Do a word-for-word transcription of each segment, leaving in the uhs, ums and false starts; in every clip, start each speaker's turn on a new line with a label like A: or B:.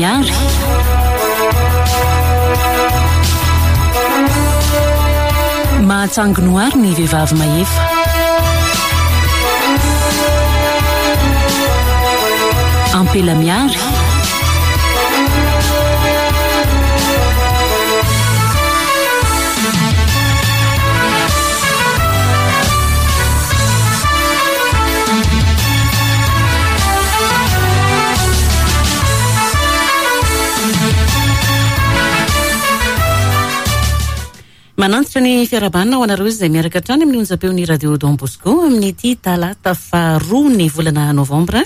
A: Miary. Mahatsanginoary ny vehivavy mahefa. Ampela Miary. Manantitra ny fiarahabana ho anareo izay miaraka hatrany amin'ny onjam-peon'ny Radio Don Bosco amin'ity talata faharoa ny volana novambra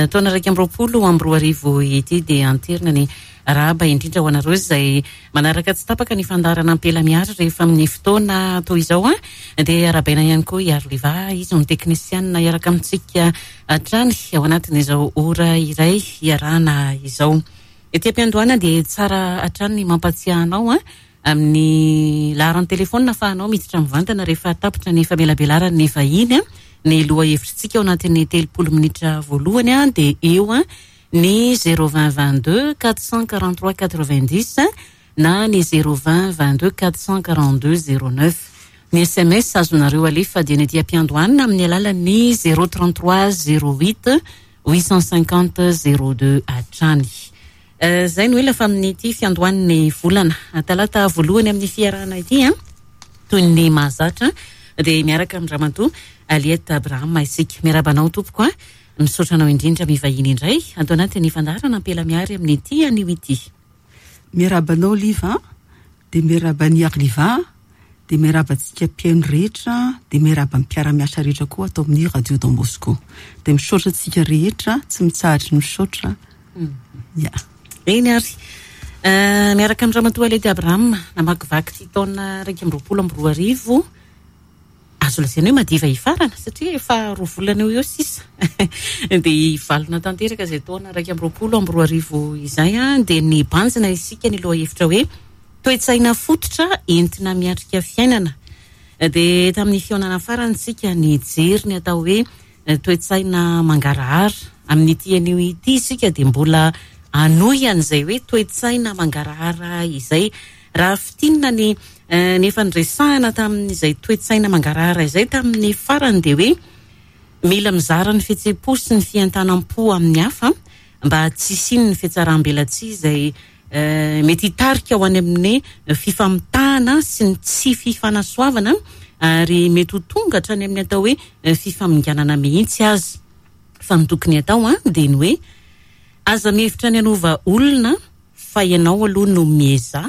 A: taona iraika amby roapolo amby roa arivo ity. Dia anterina ny arahaba indrindra ho anareo izay manaraka tsy tapaka ny fandaharana Ampela Miary rehefa amin'ny fotoana toy izao. Dia arahabaina ihany koa i Arliva, izy no teknisianina hiaraka amintsika hatrany ao anatin'izao ora iray hiarahana izao. Ety am-piandohana dia tsara hatrany ny mampatsiahy anao amin'ny laharan'ny telefônina ahafahanao miditra mivantana rehefa tapitra ny famelabelaran'ny vahiny. Ny lohahevitritsika ao anatin'ny telopolo minitra voalohany dia eo ny zéro vingt vingt-deux quatre cent quarante-trois quatre-vingt-dix na ny zéro vingt vingt-deux quatre cent quarante-deux zéro neuf. Ny S M S azonareo alefa dia ny aty am-piandohana amin'ny alalan'ny zéro trente-trois zéro huit huit cent cinquante zéro deux hatrany. Zay no ela fa amin'ity fiandohan'ny volana talata voalohany amin'ny fiarahana ity, toy ny mahazatra dia miaraka amin'ny Ramatoa Aliette Abraham isika. Miarahaba anao tompoko, misaotra anao indrindra mivahiny indray ato anatin'ny fandaharana Ampela Miary amin'ity anio ity.
B: Miarahaba anao Liva, dia miarahaba an'i Arliva, dia miarahaba antsika mpihaino rehetra, dia miarahaba ny mpiara-miasa rehetra koa ato amin'ny Radio Don Bosco. Dia misaotra antsika rehetra, tsy mitsahatra ny misaotra. Ya.
A: Eny ary, miaraka amin'ny Ramatoa Aliette Abraham namakivaky ity taona iraika amby roapolo amby roa arivo, azo lazaina hoe madiva hifarana satria efa roa volana eo eo sisa. Dia hivalona tanteraka izay taona iraika amby roapolo amby roa arivo izay, dia nibanjina isika ny lohahevitra hoe toe-tsaina fototra entina miatrika fiainana. Dia tamin'ny fihaonana farany isika nijery ny atao hoe toe-tsaina mangarahara. Amin'ity anio ity isika dia mbola hanohy an'izay hoe toe-tsaina mangarahara izay. Raha fintinina ny nefa niresahana tamin'izay toe-tsaina mangarahara izay tamin'ny farany dia hoe mila mizara ny fihetseham-po sy ny fientanam-po amin'ny hafa mba tsy hisian'ny fihatsaram-belatsihy izay mety hitarika ho any amin'ny fifamitahana sy ny tsy fifanasoavana ary mety ho tonga hatrany amin'ny atao hoe fifaminganana mihitsy aza. Fa ny tokony atao dia ny hoe aza mihevitra ny hanova olona fa ianao aloha no miezaha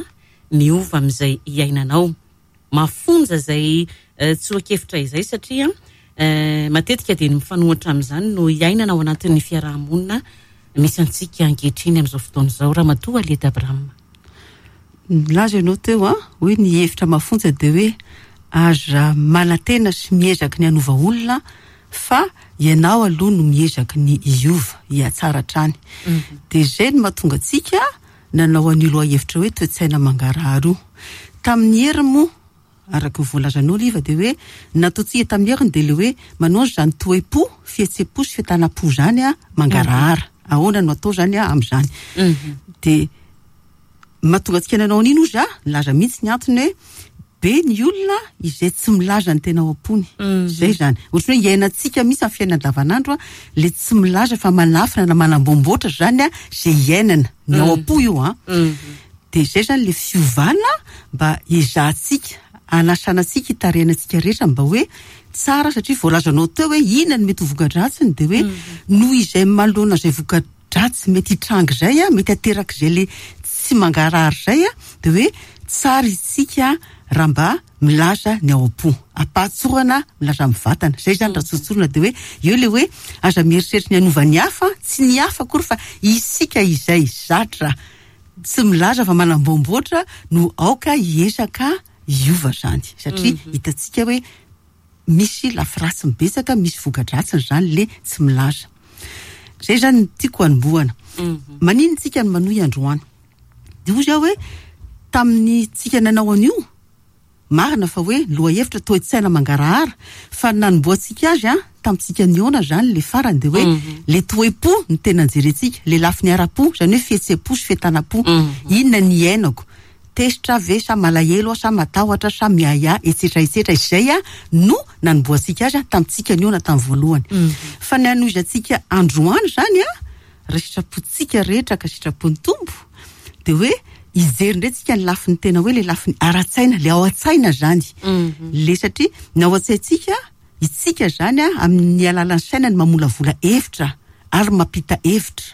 A: miova amin'izay iainanao. Mafonja izay tsoa-kevitra izay satria matetika dia ny mifanohitra amin'izany no iainana ao anatin'ny fiarahamonina misy antsika ankehitriny amin'izao fotoana izao. Ramatoa Aliette Abraham.
B: Nilaza ianao teo a, hoe ny hevitra mafonja dia hoe aza manantena sy miezaka ny hanova olona fa ianao aloha no miezaka ny hiova, hihatsara hatrany. Dia izay no mahatonga antsika nanao an'io lohahevitra hoe toe-tsaina mangarahara io. Tamin'ny heriny moa, araka ny voalazanao Liva, dia hoe nataontsika tamin'ny heriny dia ilay hoe manao izany toe-po, fihetseham-po sy fientanam-po izany a, mangarahara. Ahoana no atao izany a amin'izany? Dia mahatonga antsika nanao an'iny ozy a, nilaza mihitsy ny antony hoe be ny olona izay tsy milaza ny tena ao am-pony. Izay izany. Ohatran'ny hoe iainantsika mihitsy amin'ny fiainana andavanandro a, ilay tsy milaza fa manafina na manambomboatra izany a, izay iainana ny ao am-po io a. Dia izay izany ilay fiovana mba ezahantsika, anasana antsika, hitarihana antsika rehetra mba hoe tsara, satria voalazanao teo hoe inona no mety ho voka-dratsiny, dia hoe noho izay manoloana izay voka-dratsy mety hitranga izay a, mety aterak'izay ilay tsy mangarahara izay a, dia hoe tsara isika raha mba milaza ny ao am-po, ampahatsorana milaza amin'ny vatana. Izay izany raha tsotsorina dia hoe eo ilay hoe aza mieritreritra ny hanova ny hafa, tsy ny hafa akory fa isika izay zatra tsy milaza fa manambomboatra no aoka hiezaka hiova izany, satria hitantsika hoe misy lafiratsy mibetsaka, misy voka-dratsiny izany ilay tsy milaza. Izay izany no tiako hanombohana. Maninona isika no manohy androany? Dia hoy aho hoe tamin'ny tsika nanao an'io, marina fa hoe lohahevitra toe-tsaina mangarahara, fa nanombohantsika azy a Tamintsika niona zany le farany de hoe le toe-po ny tena jerentsika, le lafiny ara-po, zany hoe fihetsem-po sy fientanam-po. Inona ny iainako? Tezitra ve sa malahelo sa matahotra sa miahiahy, etsetra etsetra. Izay a no nanombohantsika azy a tamintsika niona tamin'ny voalohany. Fa ny anohizantsika androany zany a, raha sitrapontsika rehetra ka sitrapon'ny Tompo, de hoe hijery indray tsika ny lafiny tena hoe le lafiny ara-tsaina, le ao an-tsaina zany. Le satria ny ao an-tsaintsika, itsika zany a, amin'ny alalan'ny saina ny mamolavola hevitra ary mampita hevitra.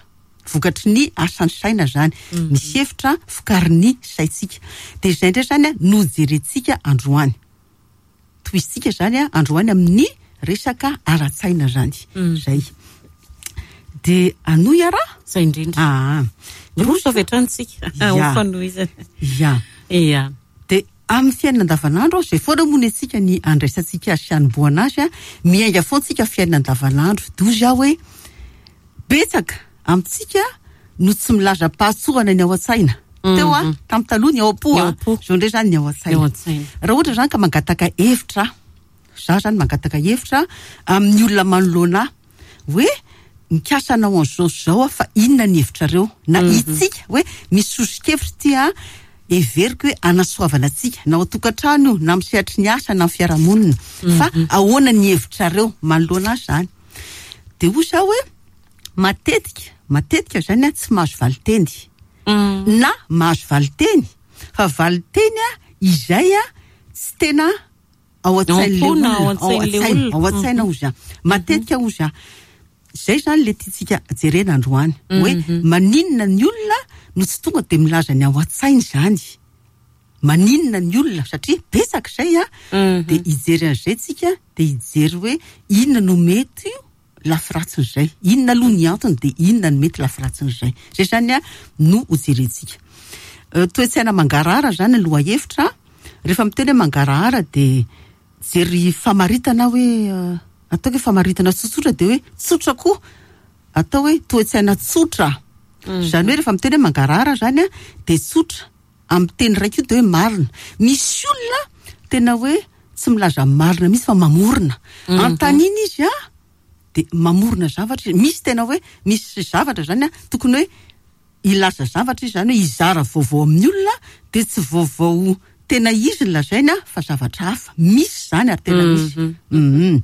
B: Vokatry ny asan'ny saina zany. Misy hevitra vokarin'ny saintsika. De izay indray zany a no jerentsika androany. Tohizintsika zany a androany amin'ny resaka ara-tsaina zany. Zay. De anohy ara?
A: Zay indrindra.
B: Ah.
A: Roso avy hatrany tsika.
B: Ya.
A: Ho fanohizana.
B: Ya.
A: Ya.
B: De amin'ny fiainana andavanandro, zay foana moa ny antsika ny andraisantsika azy sy anombohana azy a, miainga foana tsika fiainana andavanandro. Dozy aho hoe betsaka amintsika no tsy milaza pahatsorana ny ao an-tsaina. Teo a, tamin'ny taloha ny ao am-po
A: Ny ao
B: a.
A: am-po.
B: Zao indray zany ny ao an-tsaina.
A: Ny ao an-tsaina.
B: Raha ohatra zany ka mangataka hevitra, za zany mangataka hevitra amin'ny olona manoloana ahy hoe mikasa anao an'izao sy izao aho, fa inona ny hevitrareo? Na itsika hoe misy soso-kevitra ty a, heveriko hoe anasoavana antsika, na ao an-tokantrano io, na amin'ny sehatry ny asa, na amin'ny fiarahamonina. Fa ahoana ny hevitrareo manoloana azy zany? De hoy zaho hoe matetika, matetika zany a tsy mahazo valiteny. Na mahazo valiteny, fa valiteny a izay a tsy tena ao an-tsain'le
A: Ao am-po na
B: olona,
A: ao an-tsain'le
B: ao an-tsaina,
A: olona.
B: ao an-tsaina hozy a. Matetika hozy a. Zay zany le tiantsika jerena androany, hoe maninona ny olona no tsy tonga de milaza ny ao an-tsainy zany. Maninona ny olona, satria betsaka izay a, de hijery an'izay tsika, de hijery hoe inona no mety lafy-ratsin'izay, inona aloha ny antony, de inona no mety lafy-ratsin'izay. Zay zany a no ho jerentsika. Eh, toe-tsaina mangarahara zany ny lohahevitra. Rehefa miteny hoe mangarahara de jery famaritana hoe, eh, ataoko hoe famaritana tsotsotra, de hoe tsotra koa, atao hoe toe-tsaina tsotra. Zany hoe rehefa miteny hoe mangarahara zany a, de tsotra amin'ny teny raiky io de hoe marina. Misy olona tena hoe tsy milaza marina mihitsy fa mamorona. Antanina izy a, de mamorona zavatra izy. Misy tena hoe misy zavatra zany a, tokony hoe hilaza zavatra izy, zany hoe hizara vaovao amin'ny olona, de tsy vaovao tena izy ny lazaina fa zavatra hafa. Misy zany ary tena misy. Mhm.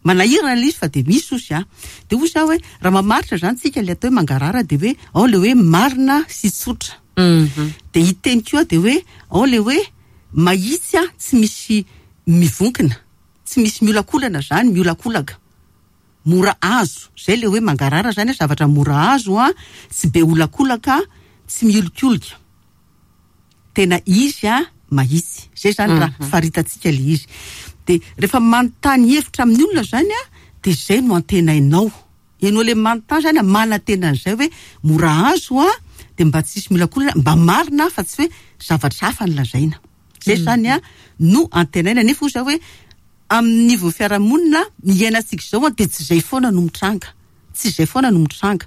B: Manahirana ilay izy fa de misy ozy a. De hoy zaho hoe raha mamaritra zany tsika le atao hoe mangarahara, de hoe ao le hoe marina sy tsotra. De hiteny koa de hoe ao le hoe mahitsy a, tsy misy mivonkina, tsy misy miolakolana zany, miolakolaka. Mora azo. Zay le hoe mangarahara zany, zavatra mora azo a, tsy be olakolaka, tsy miolikolika. Tena izy a mahitsy. Zay zany raha faritantsika le izy. De rehefa manontany hevitra amin'ny olona zany a, de zay no antenainao. Ianao le manontany zany a, manantena an'izay hoe mora azo a, de mba tsisy miolakolana, mba marina fa tsy hoe zavatra hafa ny lazaina. Zay zany a no antenaina. Nefa hoy zaho hoe amin'ny niveau fiarahamonina iainantsika izao a, de tsy zay foana no mitranga. Tsy zay foana no mitranga.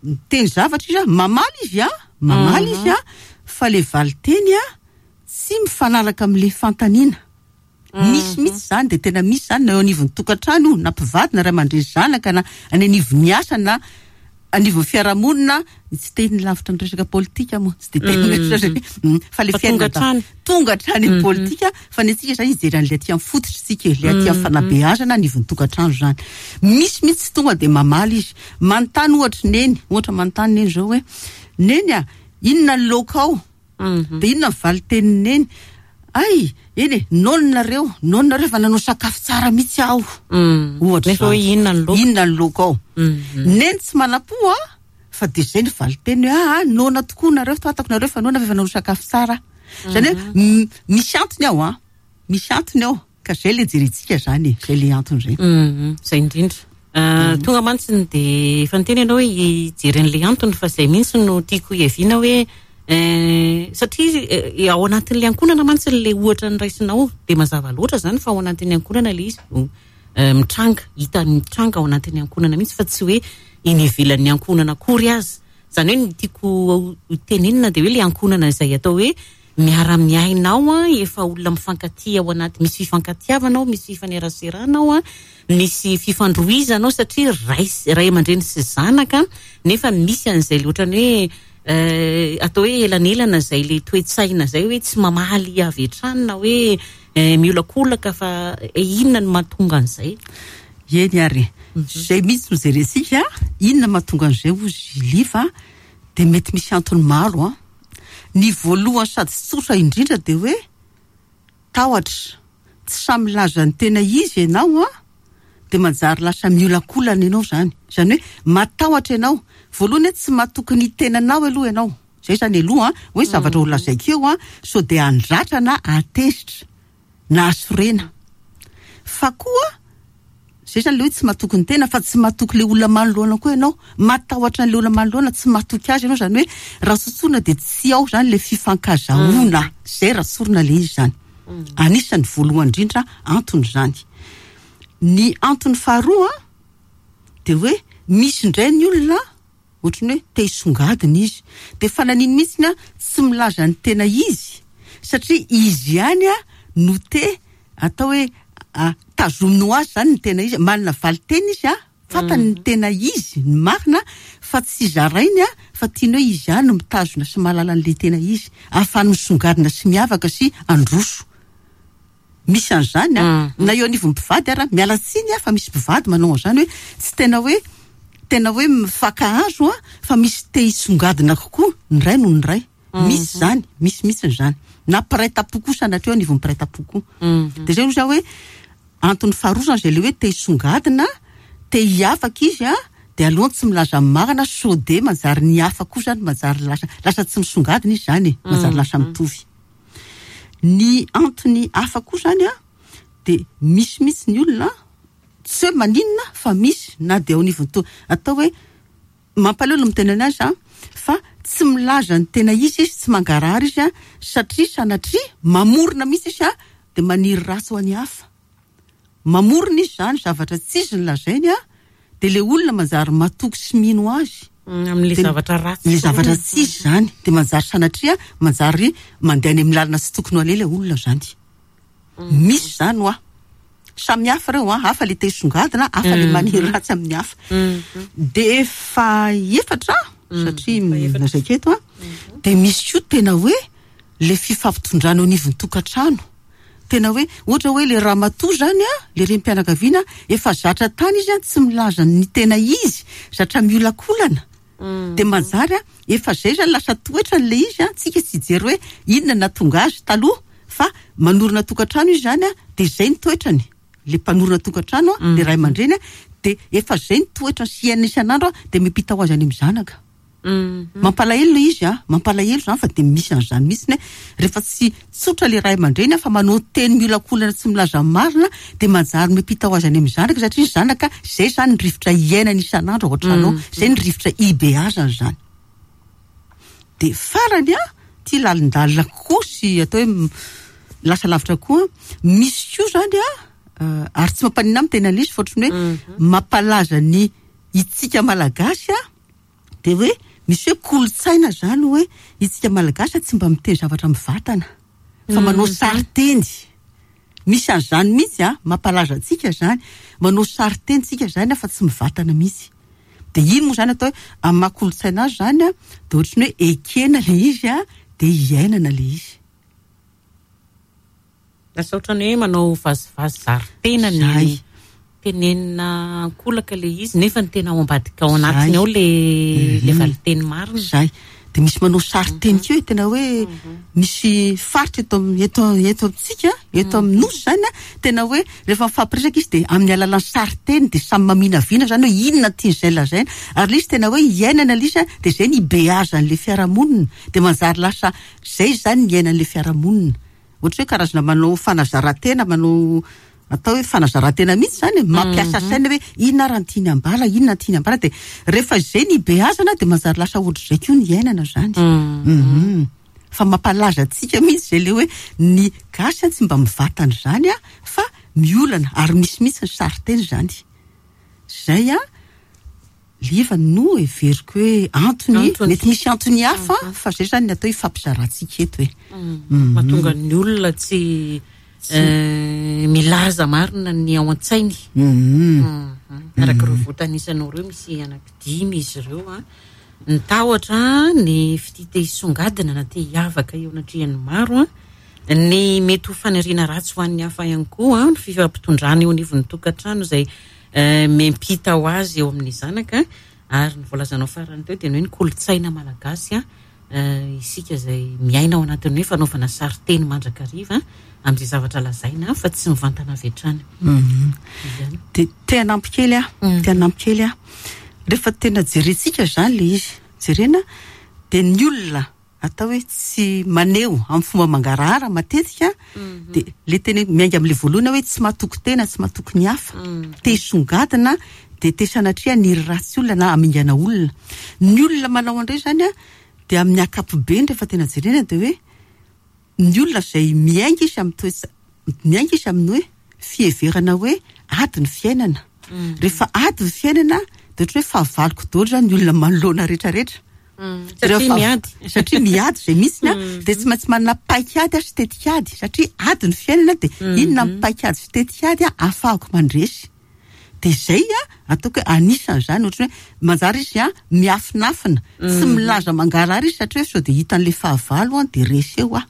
B: Miteny zavatra izy a, mamaly izy a, mamaly izy a, fa le valiteny a tsy mifanaraka amin'le fanontaniana. Misy mihitsy zany, de tena misy zany na eo anivon'ny tokantrano io, na mpivady, na ray aman-dreny zanaka, na any anivon'ny asa, na anivon'ny fiarahamonina. Tsy teny lavitra ny resaka politika moa, tsy de teny resaka, mm, fa le
A: Fa
B: fiainana
A: tonga
B: da-
A: hatrany.
B: tonga hatrany amin'ny politika, fa ny antsika zany hijery an'ilay aty amin'ny fototra tsika, ilay aty amin'ny fanabeazana anivon'ny tokantrano zany. Misy mihitsy tsy tonga de mamaly izy. Manontany ohatra neny, ohatra manontany neny zao hoe neny a, inona ny laoka ao? De inona ny valitenin'ny neny? Ay, eny e, nononareo, nononareo fa nanao sakafo tsara mihitsy aho. Ohatra
A: Nefa hoe
B: zany.
A: inona ny laoka?
B: Inona ny laoka ao? Neny tsy manam-po a, fa de zay ny valiteny hoe, ah, nona tokoa nareo, fantako nareo fa nona fa efa nanao sakafo tsara. Zany hoe, m-, misy antony ao a, misy antony ao, ka zay le jerentsika zany e, zay le antony zay.
A: Mhm, zay indrindra. Ah, tonga mantsy ny de efa niteny ianao hoe hijery an'le antony, fa zay mihitsy no tiako hiaviana hoe, eh, satria, eh, ao anatin'le ankohonana mantsy le ohatra ny raisinao, de mazava loatra zany fa ao anatin'ny ankohonana le izy no, eh, mitranga, hita mitranga ao anatin'ny ankohonana mihitsy, fa tsy hoe eny ivelan'ny ankohonana akory azy. Zany hoe ny tiako ho tenenina de hoe le ankohonana izay atao hoe miara-miaina ao a, efa olona mifankatia ao anaty, misy fifankatiavana ao, misy fifaneraserana ao a, misy fifandrohizana ao satria ray ray aman-dreny sy zanaka, nefa misy an'izay le ohatrany hoe eh, atao hoe elanelana zay le toe-tsaina zay hoe tsy mamaly avy hatrany na hoe eh, miolakolaka, fa inona no mahatonga an'izay?
B: Eny ary, zay mihitsy no jerentsika, inona mahatonga an'izay ozy Liva? De mety misy antony maro a. Ny voalohany sady tsotra indrindra de hoe tahotra. Tsy samy milaza ny tena izy ianao a, de manjary lasa miolakolana ianao zany. Zany hoe matahotra ianao. Voalohany hoe tsy matoky ny tenanao aloha ianao. Zay zany aloha a, hoe zavatra ho lazaiko eo a, sao de handratra na hatezitra na hasorena. Fa koa zay zany le hoe tsy matoky ny tena, fa tsy matoky le olona manoloana koa ianao. Matahotra an'le olona manoloana, tsy matoky azy ianao, zany hoe raha tsotsorina de tsy ao zany le fifankazahoana. Zay raha tsorina le izy zany. Anisan'ny voalohany indrindra antony zany. Ny antony faharoa de hoe misy indray ny olona ohatrany hoe te hisongadina izy. De fananiny mihitsy a tsy milaza ny tena izy, satria izy ihany a no te atao hoe tazominy ho azy zany ny tena izy, manana valiteny izy a, fantany ny tena izy, ny marina, fa tsy zarainy a, fa tiany hoe izy ihany no mitazona sy mahalala an'ilay tena izy, ahafahany misongadina sy miavaka sy androso. Misy an'izany a, na eo anivon'ny mpivady ara, miala tsiny a, fa misy mpivady manao an'izany hoe tsy tena hoe tena hoe mifankahazo a, fa misy te hisongadina kokoa ny ray noho ny ray. Misy zany, misy mihitsy zany. Na mpiray tampo koa sanatria eo anivon'ny mpiray tampo koa. De zay aloha hoe antony faharoa zany zay le hoe te hisongadina, te hiavaka izy a, de alohany tsy milaza ny marina, sao de manjary ny hafa koa zany, manjary lasa, lasa tsy misongadina izy zany e, manjary lasa mitovy. Ny antony hafa koa zany a, de misy mihitsy ny olona tsy hoe maninona fa misy na de ao anivon'ny to atao hoe mampaleo no miteny anazy a, fa tsy milaza ny tena izy izy, tsy mangarahara izy a, satria sanatria mamorona mihitsy izy a, de maniry ratsy ho an'ny hafa. Mamorona izy zany zavatra tsy izy ny lazainy a, de le olona manjary matoky sy mino azy.
A: Amin'le zavatra ratsy.
B: Le zavatra tsy izy zany, de manjary sanatria manjary mandeha any amin'ny lalana tsy tokony ho aleha le olona zany. Misy zany hoa. Samy hafa ireo a, hafa le te hisongadina, hafa le maniry ratsy amin'ny hafa. De efa efatra, satria lazaiko eto a, de misy koa tena hoe le fifampitondrana eo anivon'ny tokantrano. Tena hoe ohatra hoe le ramatoa zany a, le renim-pianakaviana efa zatra tany izy a, tsy milaza ny tena izy, zatra miolakolana. De manjary a, efa zay zany lasa toetrany le izy a, tsika tsy hijery hoe inona nahatonga azy taloha, fa manorina tokantrano izy zany a, de zay ny toetrany. Le mpanorina tokantrano a, le ray aman-dreny a, de efa zay ny toetrany sy iainany isan'andro a, de miampita ho azy any amin'ny zanaka. Mampalahelo le izy a, mampalahelo zany, fa de misy an'izany mihitsy hoe rehefa tsy tsotra le ray aman-dreny a, fa manao teny miolakolana tsy milaza marina, de manjary miampita ho azy any amin'ny zanaka, satria ny zanaka zay zany ny rivotra iainany isan'andro ao an-trano ao, zay ny rivotra ibeazany zany. De farany a, ty lalindalina kokoa sy atao hoe lasa lavitra koa, misy koa zany a, ary tsy mampaninona amin'ny tena izy, fa ohatran'ny hoe mampalaza ny itsika malagasy a, de hoe misy hoe kolontsaina zany hoe itsika malagasy tsy mba miteny zavatra mivatana, fa manao sarin-teny. Misy an'izany mihitsy a, mampalaza antsika zany, manao sarin-teny tsika zany a, fa tsy mivatana mihitsy. De iny moa zany atao hoe amin'ny maha kolontsaina azy zany a, de ohatran'ny hoe ekena le izy a, de iainana le izy.
A: Lasa ohatran'ny hoe manao vazivazy zary-tena ny
B: Zay.
A: tenenina ankolaka le izy, nefa ny tena ao ambadika ao anatiny ao le le valiteny marina.
B: Zay. De misy manao sarin-teny koa hoe tena hoe misy faritra eto am-, eto, eto amintsika, eto amin'ny nosy zany a, tena hoe rehefa mifampiresaka izy de amin'ny alalan'ny sarin-teny de samy maminavina zany hoe inona tian'izay lazaina. Ary le izy tena hoe iainana le izy a, de zay ny ibeazan'le fiarahamonina, de manjary lasa zay zany ny iainan'le fiarahamonina. Ohatra hoe karazana manao fanazaran-tena, manao atao hoe fanazaran-tena mihitsy zany e, mampiasa saina hoe inona ary ny tiany ambara, inona ny tiany ambara, de rehefa zay ny ibeazana de manjary lasa ohatr'izay koa ny iainana zany. Mhm. Fa mampalaza antsika mihitsy zay le hoe ny gasy tsy mba mivatana zany a, fa miolana, ary misy mihitsy ny sarin-teny zany. Zay a, Liva no heveriko hoe antony,
A: Antony.
B: mety misy antony hafa, fa zay zany ny atao hoe fampizarantsika eto e.
A: Mahatonga ny olona tsy eh, milaza marina ny ao an-tsainy.
B: Mhm.
A: Mhm. Araka ireo voatanisanao ireo, misy anankidimy izy ireo a. Ny tahotra, ny fitia te hisongadina na te hiavaka eo anatrehan'ny maro a. Ny mety ho faniriana ratsy ho an'ny hafa ihany koa, ny fifampitondrana eo anivon'ny tokantrano izay eh, miampita ho azy eo amin'ny zanaka, ary ny voalazanao farany teo dia ny hoe ny kolontsaina malagasy a, eh, isika izay miaina ao anatin'ny hoe fanaovana sarinteny mandrakariva amin'izay zavatra lazaina fa tsy mivantana avy hatrany. Izany.
B: De te hanampy kely aho, te hanampy kely aho. Rehefa tena jerentsika zany le izy, jerena de ny olona atao hoe tsy maneho amin'ny fomba mangarahara matetika, de le tena miainga amin'le voalohany hoe tsy mahatoky tena, tsy mahatoky ny hafa, te hisongadina, de te sanatria haniry ratsy olona na hamingana olona. Ny olona manao an'ireny zany a, de amin'ny ankapobeny rehefa tena jerena de hoe ny olona izay miainga izy amin'ny toetsa-, miainga izy amin'ny hoe fiheverana hoe ady ny fiainana. Rehefa ady ny fiainana de ohatra hoe fahavaloko daholo zany ny olona manoloana rehetrarehetra.
A: Satria
B: Rehefa
A: miady.
B: Satria miady izay mihitsy a, de tsy maintsy manana paikady sy tetikady, satria ady ny fiainana, de inona ny paikady sy tetikady a ahafahako mandresy. De zay a, ataoko hoe anisan'izany, ohatra hoe manjary izy a miafinafina, tsy milaza mangarahara izy satria hoe sao de hitan'le fahavalo a, de resy eo a.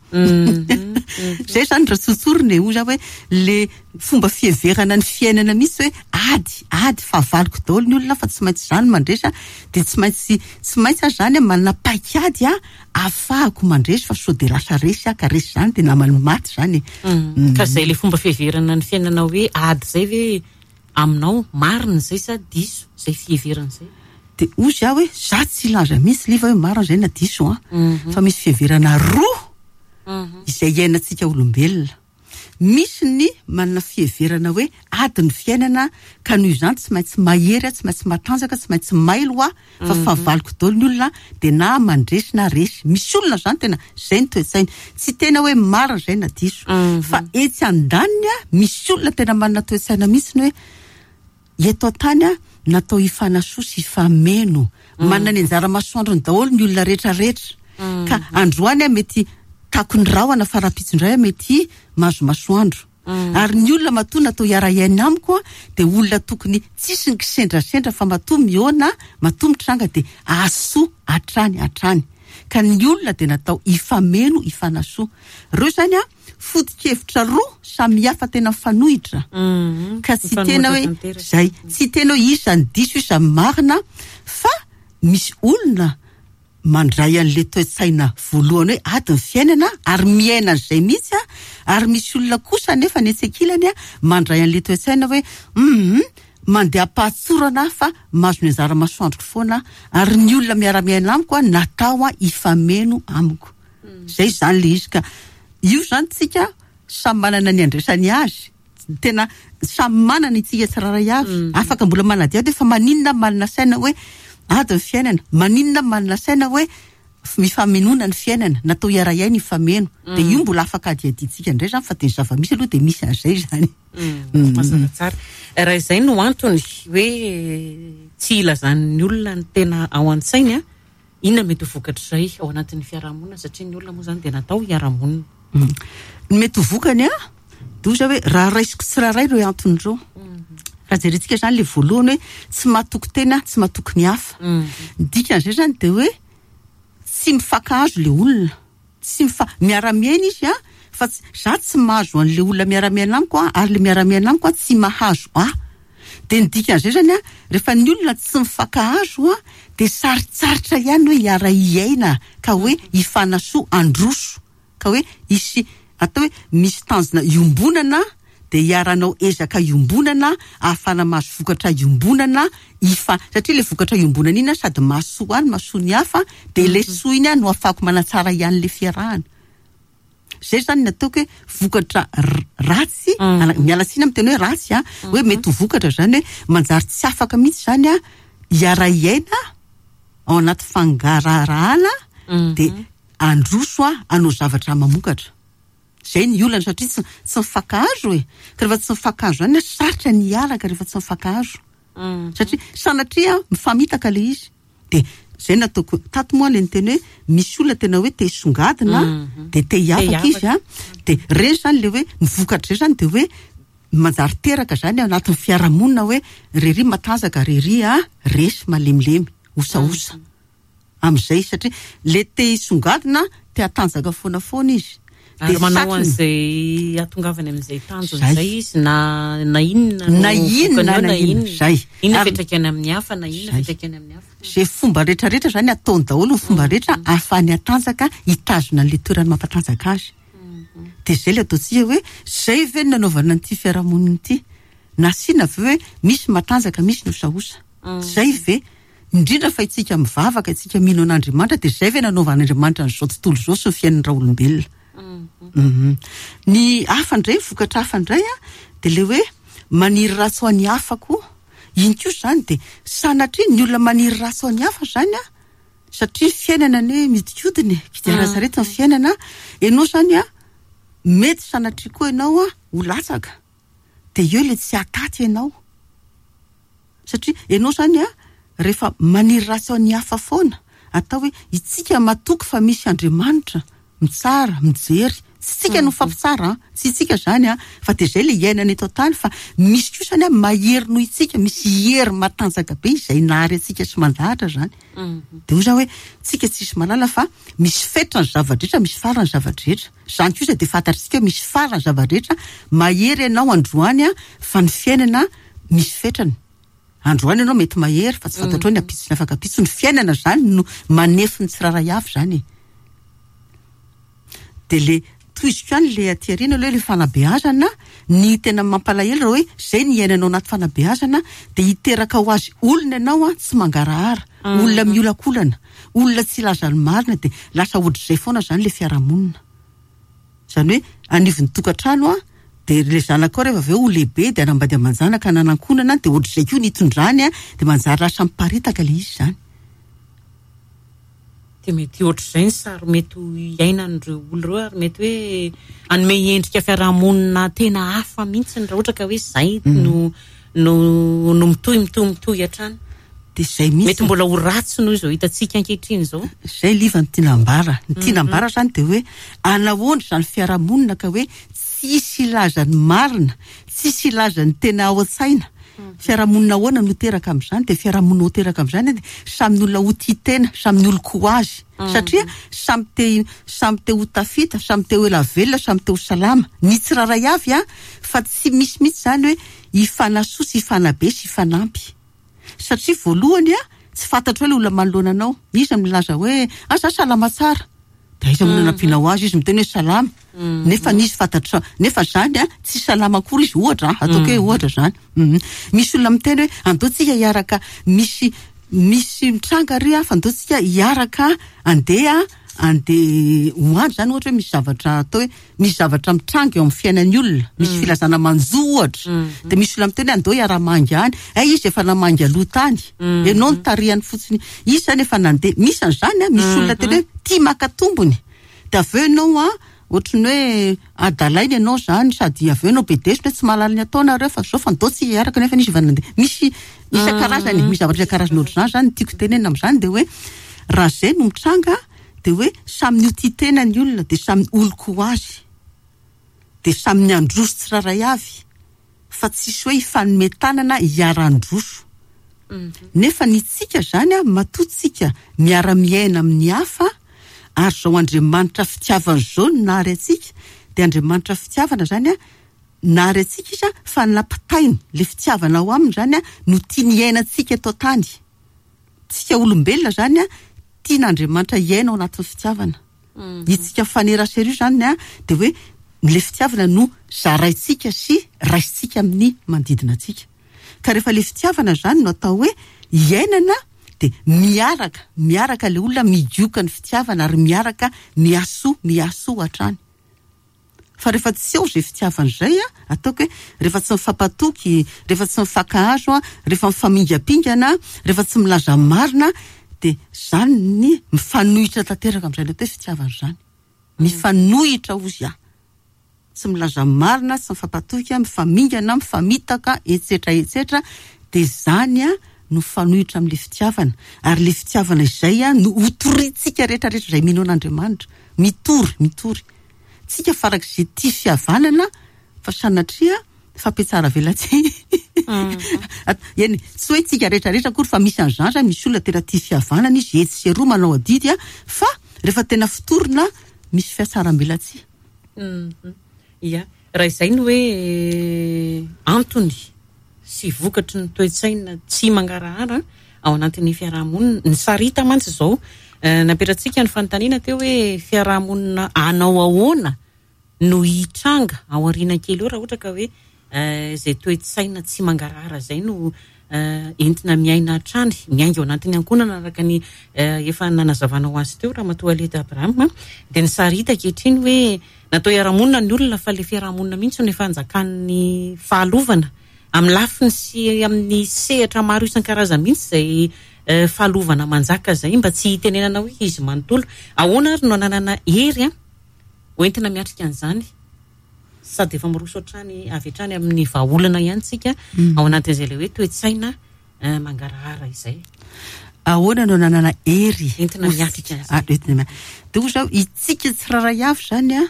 B: Zay zany raha tsotsorina e, hoy za hoe le fomba fiheverana ny fiainana mihitsy hoe ady, ady, fahavaloko daholo ny olona fa tsy maintsy zany mandresy a, de tsy maintsy, tsy maintsy aho zany a manana paikady a ahafahako mandresy fa sao de lasa resy aho, ka resy zany de namany maty zany e.
A: Mm. Ka zay le fomba fiheverana ny fiainana hoe ady zay ve aminao marina zay sa diso zay fiheverana zay?
B: De hoy aho hoe za tsy hilaza mihitsy Liva hoe marina zay na diso a, fa misy fiheverana roa izay iainantsika olombelona. Misy ny manana fiheverana hoe ady ny fiainana ka noho izany tsy maintsy mahery, tsy maintsy matanjaka, tsy maintsy mailo aho fa fahavaloko daholo ny olona, de na mandresy na resy. Misy olona zany tena zay ny toe-tsainy, tsy tena hoe marina zay na diso, fa etsy andaniny a misy olona tena manana toe-tsaina mihitsy ny hoe eto an-tany a natao hifanasoa sy hifameno, manana ny anjara masoandrony daholo ny olona rehetrarehetra, ka androany a mety takony rahona fa rahampitso indray a mety mahazo masoandro. Ary ny olona matoa natao hiara-hiaina amiko a, de olona tokony tsisy ny kisendrasendra fa matoa mihaona, matoa mitranga de ahasoa hatrany hatrany. Ka ny olona de natao hifameno, hifanasoa. Ireo zany a foto-kevitra roa samihafa tena mifanohitra. Ka tsy tena hoe
A: Mifanohitra tanteraka.
B: zay, tsy tena hoe iza ny diso, iza ny marina, fa misy olona mandray an'le toe-tsaina voalohany hoe ady ny fiainana ary miaina an'izay mihitsy a, ary misy olona kosa nefa ny etsy ankilany a mandray an'le toe-tsaina hoe mhm, mandeha am-pahatsorana fa mahazo ny anjara masoandroko foana, ary ny olona miara-miaina amiko a natao a hifameno amiko. Zay zany le izy, ka io zany tsika samy manana ny andraisany azy, tena samy manana itsika tsirairay avy. Afaka mbola manadihady hoe fa maninona manana saina hoe ady ny fiainana, maninona manana saina hoe mifamenoana ny fiainana, natao hiara-hiaina hifameno. De io mbola afaka adihadintsika indray zany, fa de ny zava-misy aloha de misy an'izay zany.
A: Mm. Mazava tsara. Raha izay no antony hoe tsy ilazan'ny olona ny tena ao an-tsainy a, inona mety ho vokatr'izay ao anatin'ny fiarahamonina, satria ny olona moa zany de natao hiara-monina.
B: Mm. Ny mety ho vokany a, de hoy za hoe raha raisiko tsirairay ireo antony ireo. Raha jerentsika zany le voalohany hoe tsy mahatoky tena, tsy mahatoky ny hafa. Ny dikan'izay zany de hoe tsy mifankahazo le olona, tsy mifa-, miara-miaina izy a, fa tsy, za tsy mahazo an'le olona miara-miaina amiko a, ary le miara-miaina amiko a tsy mahazo ahy. De ny dikan'izay zany a, rehefa ny olona tsy mifankahazo a, de sarotsarotra ihany hoe hiara-hiaina, ka hoe hifanasoa handroso, ka hoe hisy atao hoe misy tanjona iombonana, de hiaranao ezaka iombonana, ahafahana mahazo vokatra iombonana, ifa-, satria le vokatra iombonana iny a sady mahasoa ahy no mahasoa ny hafa, de le soa iny a no ahafahako manatsara ihany le fiarahana. Zay zany ny ataoko hoe vokatra r-, ratsy,
A: Mm.
B: miala tsiny amin'ny teny hoe ratsy a, hoe mety ho vokatra zany hoe manjary tsy afaka mihitsy zany a hiara-hiaina ao anaty fangaraharahana, de handroso a hanao zavatra mamokatra. Zay ny olana, satria tsy, tsy mifankahazo e. Ka rehefa tsy mifankahazo zany a, sarotra ny hiaraka rehefa tsy mifankahazo. Satria sanatria mifamitaka le izy. De zay nataoko tato moa le niteny hoe misy olona tena hoe te hisongadina, de te hiavaka izy a. De reny zany le hoe ny vokatra zay zany de hoe manjary teraka zany ao anatin'ny fiarahamonina hoe rery matanjaka, rery a resy malemilemy, osaosa. Amin'izay satria le te hisongadina te hatanjaka foana foana izy.
A: Ary manao an'izay hahatongavany amin'izay tanjona
B: Zay.
A: izay izy, na, na inona no
B: Na inona,
A: vokany eo,
B: na
A: na
B: inona.
A: inona.
B: Zay.
A: Inona
B: Ary
A: fiantraikany amin'ny hafa, na inona
B: Zay.
A: fiantraikany amin'ny hafa.
B: Zay fomba rehetrarehetra zany ataony daholo ny fomba rehetra ahafahany hatanjaka, hitazona an'ilay toerany mampatanjaka azy. De zay le ataontsika hoe zay ve no nanaovana an'ity fiarahamonina ity? Nasiana ve hoe misy matanjaka, misy ny osaosa? Zay ve? Indrindra fa itsika mivavaka, itsika mino an'Andriamanitra, de zay ve nanaovan'Andriamanitra an'izao tontolo izao sy ny fiainan'ny raolombelona? Mhm. Ny hafa indray, vokatra hafa indray a, de le hoe maniry ratsy ho an'ny hafa koa. Iny koa zany de sanatria ny olona maniry ratsy ho an'ny hafa zany a, satria ny fiainana anie miodikodina e, kodiaran-tsarety ny fiainana. Ianao zany a, mety sanatria koa ianao a ho latsaka. De eo le tsy hataty ianao. Satria ianao zany a, rehefa maniry ratsy ho an'ny hafa foana, atao hoe itsika matoky fa misy Andriamanitra mitsara, mijery. Tsy tsika no mifampitsara, a, tsy itsika zany a, fa de zay le iainana eto an-tany, fa misy koa zany a mahery noho itsika, misy hery matanjaka be izay nahary antsika sy mandahatra zany. De hoy zany hoe tsika tsisy mahalala fa misy fetra ny zava-drehetra, misy fara ny zava-drehetra. Zany kosa de fantatritsika hoe misy fara ny zava-drehetra, mahery ianao androany a, fa ny fiainana misy fetrany. Androany ianao mety mahery fa tsy fantatrao ny ampitso sy ny afaka ampitso. Ny fiainana zany no manefy ny tsirairay avy zany e. De le tohiziko ihany le aty aoriana aloha le fanabeazana, ny tena mampalahelo raha hoe zay ny iainanao anaty fanabeazana, de hiteraka ho azy olona ianao a tsy mangarahara, olona miolakolana, olona tsy hilaza ny marina, de lasa ohatr'izay foana zany le fiarahamonina. Zany hoe anivon'ny tokantrano a, de le zanakao rehefa avy eo ho lehibe de hanambady aman-janaka hananankonana, de ohatr'izay koa ny hitondrany a, de manjary lasa miparitaka le izy zany.
A: De mety ohatr'izay ny sary mety ho iainan'ireo olona ireo, ary mety hoe hanome endrika fiarahamonina tena hafa mihitsy raha ohatra ka hoe zay no, no, no mitohy, mitohy, mitohy hatrany.
B: De zay mihitsy.
A: Mety mbola ho ratsy noho izao hitantsika ankehitriny izao.
B: Zay liva ny tiana ambara. Ny tiana ambara zany de hoe anahoana izany fiarahamonina ka hoe tsisy hilaza ny marina, tsisy hilaza ny tena ao an-tsaina. Fiarahamonina ahoana no teraka amin'izany? De fiarahamonina ho teraka amin'izany de samy ny olona ho tia tena, samy ny olon-ko azy. Satria samy te, samy te ho tafita, samy te ho ela velona, samy te ho salama. Ny tsirairay avy a, fa tsy misy mihitsy zany hoe hifanasoa sy hifanabe sy hifanampy. Satria voalohany a, tsy fantatro hoe le olona manoloana anao. Iza milaza hoe, ah, za salama tsara. De aiza moa no nampianao azy? Izy miteny hoe salama. Nefa nisy fantatra, nefa zany a, tsy salama akory izy, ohatra, a, ataoko hoe ohatra zany. Mhm. Misy olona miteny hoe andao tsika hiaraka, misy, misy mitranga ry a, fa andao tsika hiaraka andeha, andeha ho andry zany, ohatra hoe misy zavatra atao hoe misy zavatra mitranga eo amin'ny fiainan'ny olona, misy filazana manjo ohatra. De misy olona miteny hoe andao hiara-mangy any. Eh, izy efa namangy aloha tany. Ianao no tarihany fotsiny. Izy zany efa nandeha. Misy an'izany a, misy olona tena hoe tia maka tombony. De avy eo ianao a, ohatran'ny hoe adalaina ianao zany, sady avy eo ianao bedesina hoe tsy mahalala ny ataonareo fa zao fa andao tsy hiaraka nefa izy efa nandeha. Misy isan-karazany, misy zavatra isan-karazany ohatr'izany zany ny tiako tenenina amin'izany, de hoe raha zay no mitranga, de hoe samy ny ho tia tena ny olona, de samy olon-ko azy. De samy ny handroso tsirairay avy, fa tsisy hoe hifanome tanana hiara-handroso. Nefa ny tsika zany a, matoa tsika miara-miaina amin'ny hafa, ary zao Andriamanitra fitiavana zao no nahary antsika, de Andriamanitra fitiavana zany a, nahary antsika izy a, fa nampitainy le fitiavana ao aminy zany a, no tiany hiainantsika eto an-tany. Tsika olombelona zany a, tian'Andriamanitra hiaina ao anatin'ny fitiavana. Itsika mifanerasera io zany a, de hoe le fitiavana no zaraintsika sy raisintsika amin'ny manodidina antsika. Ka rehefa le fitiavana zany no atao hoe iainana, de miaraka, miaraka le olona migioka ny fitiavana ary miaraka miasoa, miasoa hatrany. Fa rehefa tsy eo izay fitiavana izay a, ataoko hoe rehefa tsy mifampatoky, rehefa tsy mifankahazo a, rehefa mifamingampingana, rehefa tsy milaza marina, de zany ny mifanohitra tanteraka amin'izay atao hoe fitiavana izany. Mifanohitra ozy a. Tsy milaza marina, tsy mifampatoky, mifamingana, mifamitaka, etsetra, etsetra, Dia zany a no fanohitra amin'ilay fitiavana, ary ilay fitiavana izay a no hotorintsika rehetrarehetra izay mino an'Andriamanitra. Mitory, mitory. Tsika farak'izay tia fihavanana, fa sanatria fampiatsara-velatsihy. Eny, tsy hoe tsika rehetrarehetra akory fa misy an'izany zany, misy olona tena tia fihavanana izy, etsy sy eroa manao adidy a, fa rehefa tena fotorina misy fiatsaram-belatsihy.
A: Ia, raha izay no hoe antony sy vokatry ny toe-tsaina tsy mangarahara ao anatin'ny fiarahamonina. Ny sarita mantsy izao, napetratsika ny fanontaniana teo hoe fiarahamonina anao ahoana no hitranga ao aoriana kely eo raha ohatra ka hoe izay toe-tsaina tsy mangarahara izay no entina miaina hatrany, miainga ao anatin'ny ankohonana araka ny efa nanazavanao azy teo Ramatoa Aledy Abraham. Dia ny sarita ankehitriny hoe natao hiara-monina ny olona fa ilay fiarahamonina mihitsy no efa anjakan'ny fahalovana amin'ny lafiny sy amin'ny sehatra maro isan-karazany mihitsy izay fahalovana manjaka izay, mba tsy hitenenana hoe izy manontolo. Ahoana ary no ananana hery a hoentina miatrika an'izany? Sady efa miroso hatrany avy hatrany amin'ny vahaolana ihany tsika ao anatin'izay ilay hoe toe-tsaina mangarahara izay.
B: Ahoana no ananana hery
A: entina miatrika an'izay?
B: Ah, entina miatrika. Dia hoy zaho, itsika tsirairay avy zany a,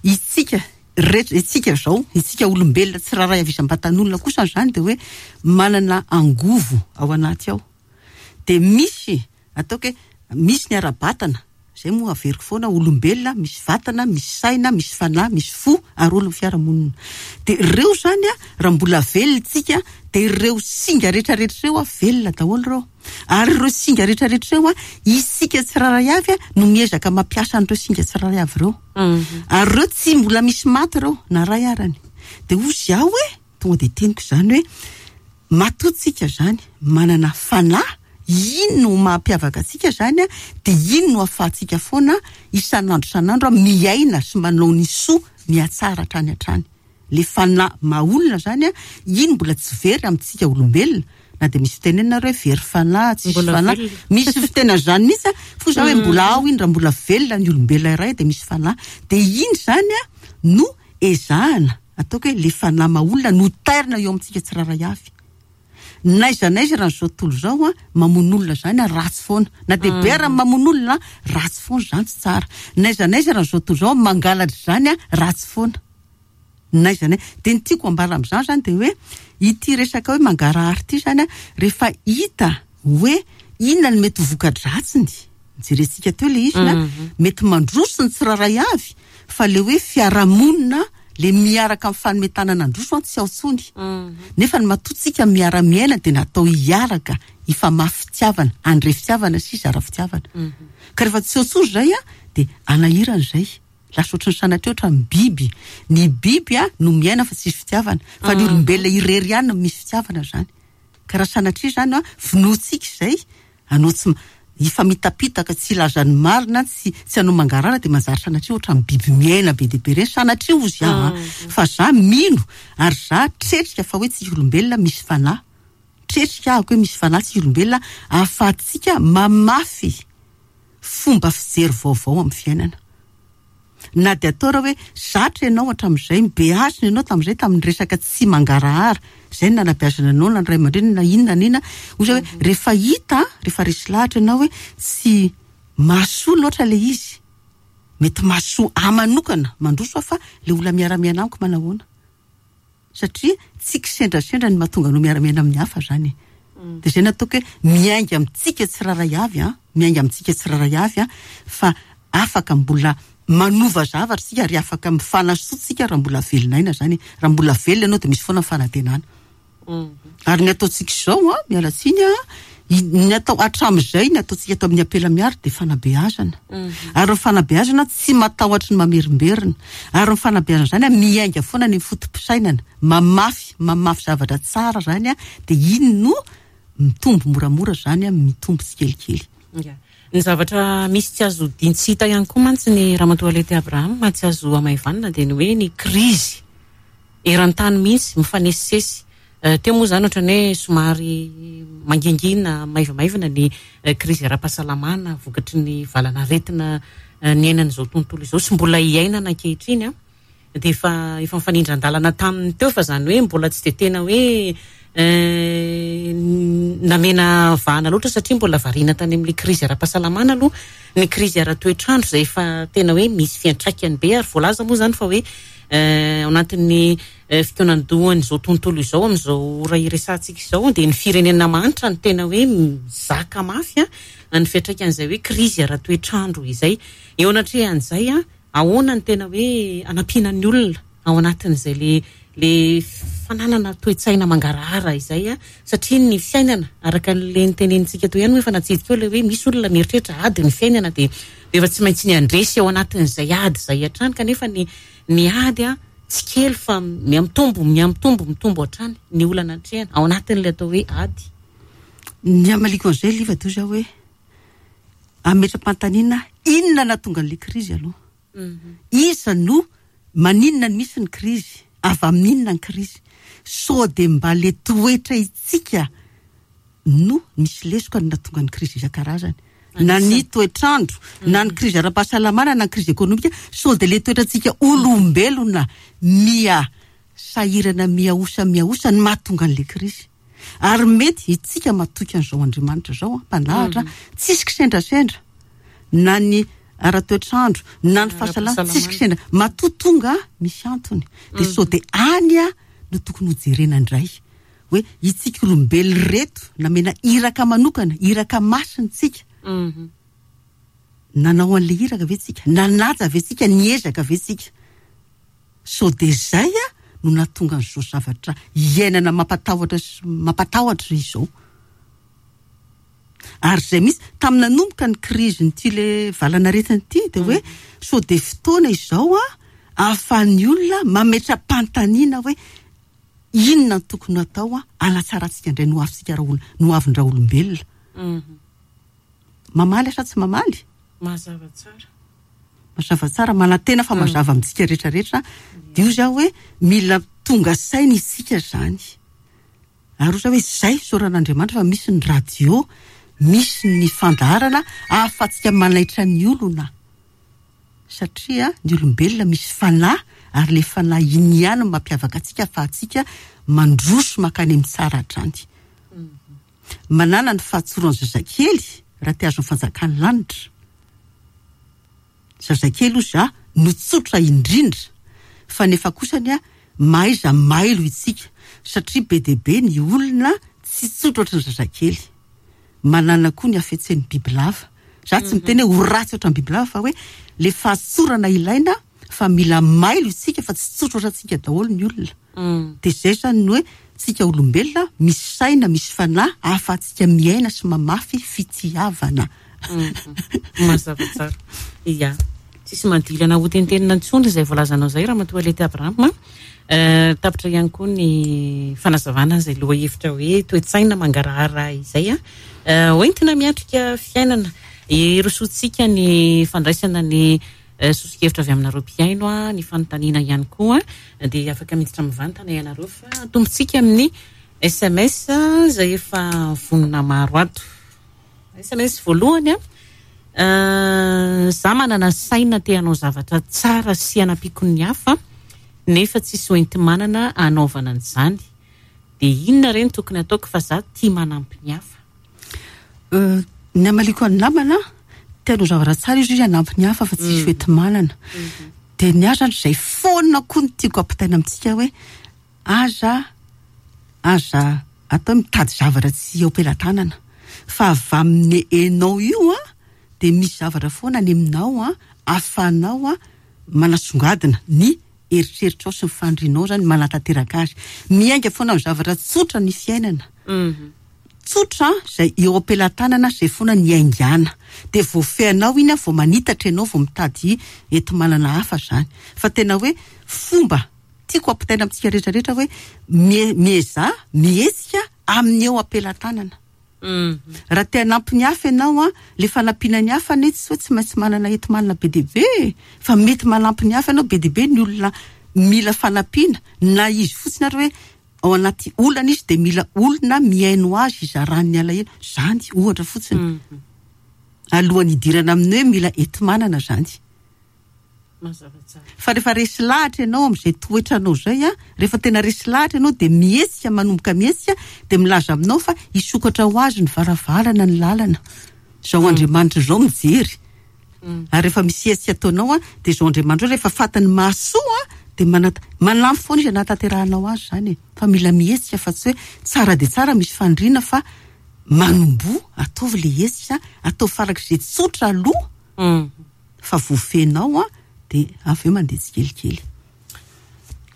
B: itsika rehetra, itsika zao, itsika olombelona tsirairay avy isam-batan'olona kosa zany dia hoe manana angovo ao anaty ao. Dia misy, ataoko hoe misy ny ara-batana, izay moa averiko foana, olombelona misy vatana, misy saina, misy fanahy, misy fo ary olon'ny fiarahamonina. Dia ireo zany a, raha mbola velona tsika, dia ireo singa rehetrarehetra ireo a, velona daholo ireo. Ary ireo singa rehetrarehetra ireo a, isika tsirairay avy a no miezaka mampiasa an'ireo singa tsirairay avy ireo. Ary ireo tsy mbola misy maty ireo, na ray arany. Dia hozy aho hoe, tonga dia teniko izany hoe, matoa tsika zany manana fanahy, ino no mampiavaka antsika zany a, dia ino no ahafahantsika foana isan'andro isan'andro a miaina sy manao ny soa mihatsara hatrany hatrany. Le fanahy maha olona zany a, ino mbola tsy very amintsika olombelona, na dia misy fitenenana hoe very fanahy, tsisy
A: Mbola
B: fanahy.
A: velona.
B: Misy fitenenana zany mihitsy a, fo za hoe mbola ao iny, raha mbola velona ny olombelona iray dia misy fanahy. Dia iny zany a no ezahana, ataoko hoe le fanahy maha olona no tairina eo amintsika tsirairay avy. N'aiza n'aiza raha izao tontolo izao a, mamono olona zany a, ratsy foana. Na dia be ara mamono olona, ratsy foana zany, tsy tsara. N'aiza n'aiza raha izao tontolo izao mangalatra zany a, ratsy foana. N'aiza n'aiza. Dia ny tiako ambara amin'izany zany dia hoe ity resaka hoe mangarahara ity zany a, rehefa hita hoe inona no mety ho voka-dratsiny, jerentsika teo ilay izy na, mety mandroso ny tsirairay avy, fa le hoe fiarahamonina le miaraka amin'ny fanometanana androso an, tsy ao intsony. Nefa ny matoa tsika miara-miaina dia natao hiaraka hifamafy fitiavana, handre fitiavana sy hizara fitiavana. Ka rehefa tsy ao intsony izay a, dia anahirana izay. Lasa ohatran'ny sanatria ohatran'ny biby. Ny biby a no miaina fa tsisy fitiavana, fa ny olombelona irery ihany no misy fitiavana zany. Ka raha sanatria zany a, vonoantsika izay, anao tsy ma-, hifamitapitaka, tsy hilaza ny marina, tsy, tsy hanao mangarahara, dia manjary sanatria ohatran'ny biby miaina be dia be ireny. Sanatria hozy aho a. Fa za mino ary za tretrika fa hoe tsika olombelona misy fanahy. Tretrika aho hoe misy fanahy tsika olombelona ahafahantsika mamafy fomba fijery vaovao amin'ny fiainana. Na dia atao raha hoe zatra ianao hatramin'izay, mibeazina ianao tamin'izay tamin'ny resaka tsy mangarahara, izay no nanabeazana anao na ny ray aman-dreny na inona na inona. Hoy za hoe rehefa hita, rehefa resy lahatra ianao hoe tsy mahasoa loatra ilay izy, mety mahasoa ahy manokana mandroso aho fa ilay olona miara-miaina amiko manahoana. Satria tsy kisendrasendra ny mahatonga anao miara-miaina amin'ny hafa zany. Dia izay nataoko hoe miainga amintsika tsirairay avy a, miainga amintsika tsirairay avy a, fa afaka mbola manova zavatra isika ary afaka mifanasoa tsika raha mbola velona aina zany. Raha mbola velona ianao dia misy foana ny fanantenana. Ary ny ataontsika izao a, miala tsiny a, i-, ny atao hatramin'izay, ny ataontsika atao amin'ny ampela miary dia fanabeazana. Ary ny fanabeazana tsy matahotra ny mamerimberina. Ary ny fanabeazana zany a, miainga foana ny foto-pisainana, mamafy, mamafy zavatra tsara zany a, dia iny no mitombo moramora zany a, mitombo tsikelikely.
A: Ya. Ny zavatra misy tsy azo dintsy hita ihany koa mantsy ny Ramatoa Alety Abraham, tsy azo hamaivanina dia ny hoe ny krizy eran-tany mihitsy mifanesisesy. Eh, teo moa zany ohatran'ny hoe somary mangingina maivamaivana ny, eh, krizy ara-pahasalamana vokatry ny valan'aretina, eh, niainan'izao tontolo izao sy mbola iainana ankehitriny a. Dia efa, efa mifanindran-dalana taminy teo fa zany hoe mbola tsy dia tena hoe, Namena vahana loatra satria mbola variana tany amin'ilay krizy ara-pahasalamana aloha, ny krizy ara-toetrandro izay efa tena hoe misy fiantraikany be, ary voalaza moa izany fa hoe ao anatin'ny fikaonandohan'izao tontolo izao amin'izao ora iresahantsika izao dia ny firenena mahantra no tena hoe mizaka mafy a ny fiantraikan'izay hoe krizy ara-toetrandro izay. Eo anatrehan'izay a, ahoana ny tena hoe anampiana ny olona ao anatin'izay le le fananana toe-tsaina mangarahara izay a, satria ny fiainana araka le nitenenintsika teo ihany hoe efa natsidika eo le hoe misy olona mieritreritra ady ny fiainana dia efa tsy maintsy ny andresy ao anatin'izay ady izay hatrany, kanefa ny ny ady a tsy kely fa miamitombo miamitombo mitombo hatrany ny olana atrehana ao anatin'ilay atao hoe ady.
B: Ny amaliko an'izay Liva toy izao hoe ametra-panontaniana inona nahatonga an'ilay krizy aloha? Iza no maninona no misy ny krizy? Avy amin'inona ny krizy? Sao dia mba le toetra itsika no misy lesoka no nahatonga ny krizy isan-karazany, na ny toetrandro, na ny krizy ara-pahasalamana, na ny krizy ekonomika. Sao dia le toetrantsika olombelona mia sahirana, mia osa, mia osa no mahatonga an'ilay krizy. Ary mety itsika matoky an'izao Andriamanitra izao, mpandahatra, tsisy kisendrasendra, na ny ara-toetrandro, na ny fahasalamana, tsisy kisendra. Matoa tonga misy antony. Dia sao dia any a no tokony hojerena indray hoe itsika olombelona reto namena iraka manokana, iraka masina tsika. Nanao an'ilay iraka ve tsika? Nanaja ve tsika? Niezaka ve tsika? Sao dia zay a no nahatonga an'izao zavatra iainana mampatahotra sy mampatahotra izao. Ary zay mihitsy tamin'ny nanomboka ny krizy n'ity le valanaretina ity dia hoe sao dia fotoana izao a ahafahan'ny olona mametra-panontaniana hoe inona no tokony atao a hanatsaratsika indray no avintsika raha olona, no avin-dra olombelona. Mamaly sa tsy mamaly?
A: Mazava tsara.
B: Mazava tsara, manantena fa mazava amintsika rehetrarehetra. Dia io zao hoe mila tonga saina isika zany. Ary ohatra hoe zay isaoran'Andriamanitra fa misy ny radio, misy ny fandaharana ahafahantsika manaitra ny olona. Satria ny olombelona misy fanahy, ary le fanahy iny ihany no mampiavaka antsika ahafahantsika mandroso mankany amin'ny tsara hatrany. Manana ny fahatsoran'ny zazakely raha te hahazo ny fanjakan'ny lanitra. Zazakely hoy za no tsotra indrindra, fa nefa kosany a mahaiza mailo itsika, satria be dia be ny olona tsy tsotra ohatran'ny zazakely. Manana koa ny hafetsen'ny bibilava. Za tsy miteny hoe ho ratsy ohatran'ny bibilava, fa hoe le fahatsorana ilaina, fa mila mailo itsika fa tsy tsotra ohatrantsika daholo ny olona. Dia zay zany ny hoe tsika olombelona misy saina, misy fanahy ahafahantsika miaina sy mamafy fitiavana.
A: Mazava tsara. Ia. Tsisy madilana ho tentenina intsony izay voalazanao izay Ramatoa Lety Abraham. Tapitra ihany koa ny fanazavana izay lohahevitra hoe toe-tsaina mangarahara izay a. Hoentina miatrika fiainana. Hirosoantsika ny fandraisana ny soso-kevitra avy aminareo mpihaino a, ny fanontaniana ihany koa, dia afaka miditra mivantana ianareo fa atombontsika amin'ny S M S izay efa vonona maro ato. S M S voalohany a, za manana saina te hanao zavatra tsara sy hanampiako ny hafa, nefa tsisy hoenti-manana hanaovana an'izany. Dia inona re no tokony ataoko fa za tia manampy ny hafa?
B: Ny amaliko ny namana, te hanao zavatra tsara izy izy hanampy ny hafa fa tsisy hoenti-manana. Dia ny ahy zany izay foana koa no tiako ampitaina amintsika hoe aza, aza atao mitady zavatra tsy eo am-pelatanana, fa avy amin'ny enao io a dia misy zavatra foana any aminao a ahafahanao a manasongadina ny eritreritrao sy ny fanirianao zany manatanteraka azy. Miainga foana amin'ny zavatra tsotra ny fiainana. Tsotra izay eo am-pelatanana izay foana ny aingana. Dia voafehinao iny a, vao manitatra ianao, vao mitady enti-manana hafa zany. Fa tena hoe fomba tiako ampitaina amintsika rehetrarehetra hoe mie-, miezaha, mihetsika amin'ny eo am-pelatanana. Raha te hanampy ny hafa ianao a, le fanampiana ny hafa anie tsy hoe tsy maintsy manana enti-manana be dia be, fa mety manampy ny hafa ianao. Be dia be ny olona mila fanampiana, na izy fotsiny ary hoe ao anaty olana izy dia mila olona mihaino azy hizarany ny alahelo. Zany ohatra fotsiny. Alohan'ny hidirana amin'ny hoe mila enti-manana zany.
A: Mazava tsara.
B: Fa rehefa resy lahatra ianao amin'izay toetranao izay a, rehefa tena resy lahatra ianao dia mihetsika, manomboka mihetsika, dia milaza aminao fa hisokatra ho azy ny varavarana, ny lalana. Izao Andriamanitra izao mijery. Ary rehefa misy hetsika ataonao a, dia izao Andriamanitra izao rehefa fantany mahasoa a, dia manat-, manampy foana izy hanatanterahanao azy izany e. Fa mila mihetsika fa tsy hoe tsara dia tsara misy faniriana fa manomboha, ataovy le hetsika, ataovy farak'izay tsotra aloha.
A: Mm.
B: Fa voafenao a, dia avy eo mandeha tsikelikely.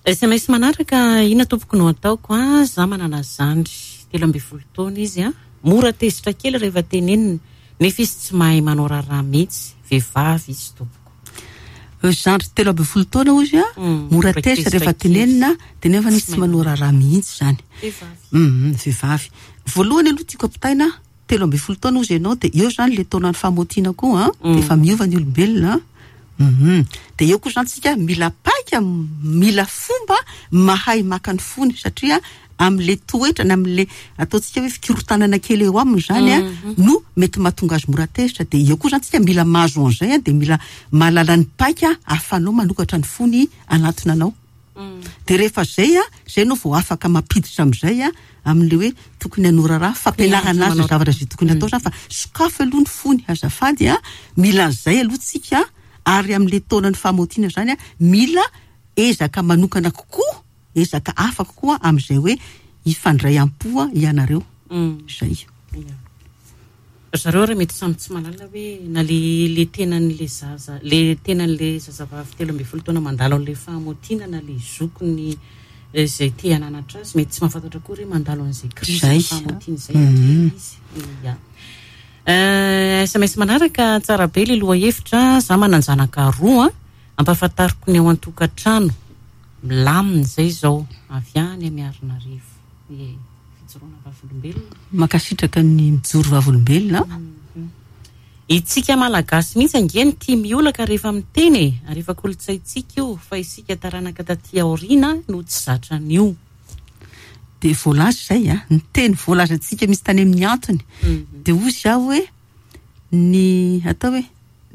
A: S M S manaraka, inona tompoko no ataoko a? Za manana zandry telo ambin'ny folo taona izy a, mora tezitra kely rehefa tenenina, nefa izy tsy mahay manao raharaha mihitsy, vehivavy izy tompoko.
B: Zandry telo ambin'ny folo taona ozy a,
A: Mm,
B: mora
A: mora
B: tezitra
A: tezitra
B: rehefa
A: kely.
B: tenenina, dia nefa izy
A: Tsy
B: tsy
A: mahay
B: manao raharaha mihitsy zany.
A: Vehivavy.
B: Mm, vehivavy. Voalohany aloha tiako ampitaina, telo ambin'ny folo taona ozy ianao, dia eo zany le taonan'ny famotiana koa, a,
A: Mm.
B: dia efa miova ny olombelona, a. Mhm. Dia eo koa zany tsika mila paika, mila fomba mahay maka ny fony, satria amin'le toetra na amin'le ataontsika hoe fikorotanana kely eo aminy zany, a,
A: Mhm.
B: no mety mahatonga azy mora tezitra. Dia eo koa zany tsika mila mahazo an'izay, a, dia mila mahalala ny paika ahafahanao manokatra ny fony anatona anao.
A: Mm.
B: Dia rehefa zay, a, zay no vao afaka mampiditra amin'izay, a, amin'le hoe tokony hanao raharaha, fampianarana azy ny zavatra izay tokony atao zany, fa sokafy aloha ny fony, azafady, a, mila an'izay aloha tsika, ary amin'le taonan'ny famotiana zany, a, mila ezaka manokana kokoa, ezaka hafa kokoa amin'izay hoe hifandray am-po, a, ianareo.
A: Mm.
B: Zay.
A: Ia. Zareo raha mety samy tsy mahalala hoe na le, le tenan'le zaza, le tenan'le zazavavy telo ambin'ny folo taona mandalo an'le famotiana na le zokiny izay te hananatra azy, mety tsy mahafantatra koa hoe mandalo an'izay krizy
B: Zay.
A: famotiana izay
B: Mm.
A: izy. Ia. Eh, S M S manaraka, tsara be le lohahevitra, za manan-janaka roa, ampahafantariko ny ao an-tokantrano, milamina izay izao, avy any Miarinarivo. Ie, fijoroana vavolombelona.
B: Mankasitraka ny mijoro vavolombelona.
A: Mhm. Itsika Malagasy mihitsy ange ny tia miolaka rehefa miteny e, ary efa kolontsaintsika io, fa isika taranaka taty aoriana no tsy zatra an'io.
B: Dia voalaza izay, a, ny teny voalazantsika misy tany amin'ny antony.
A: Mhm.
B: Dia hoy aho hoe ny atao hoe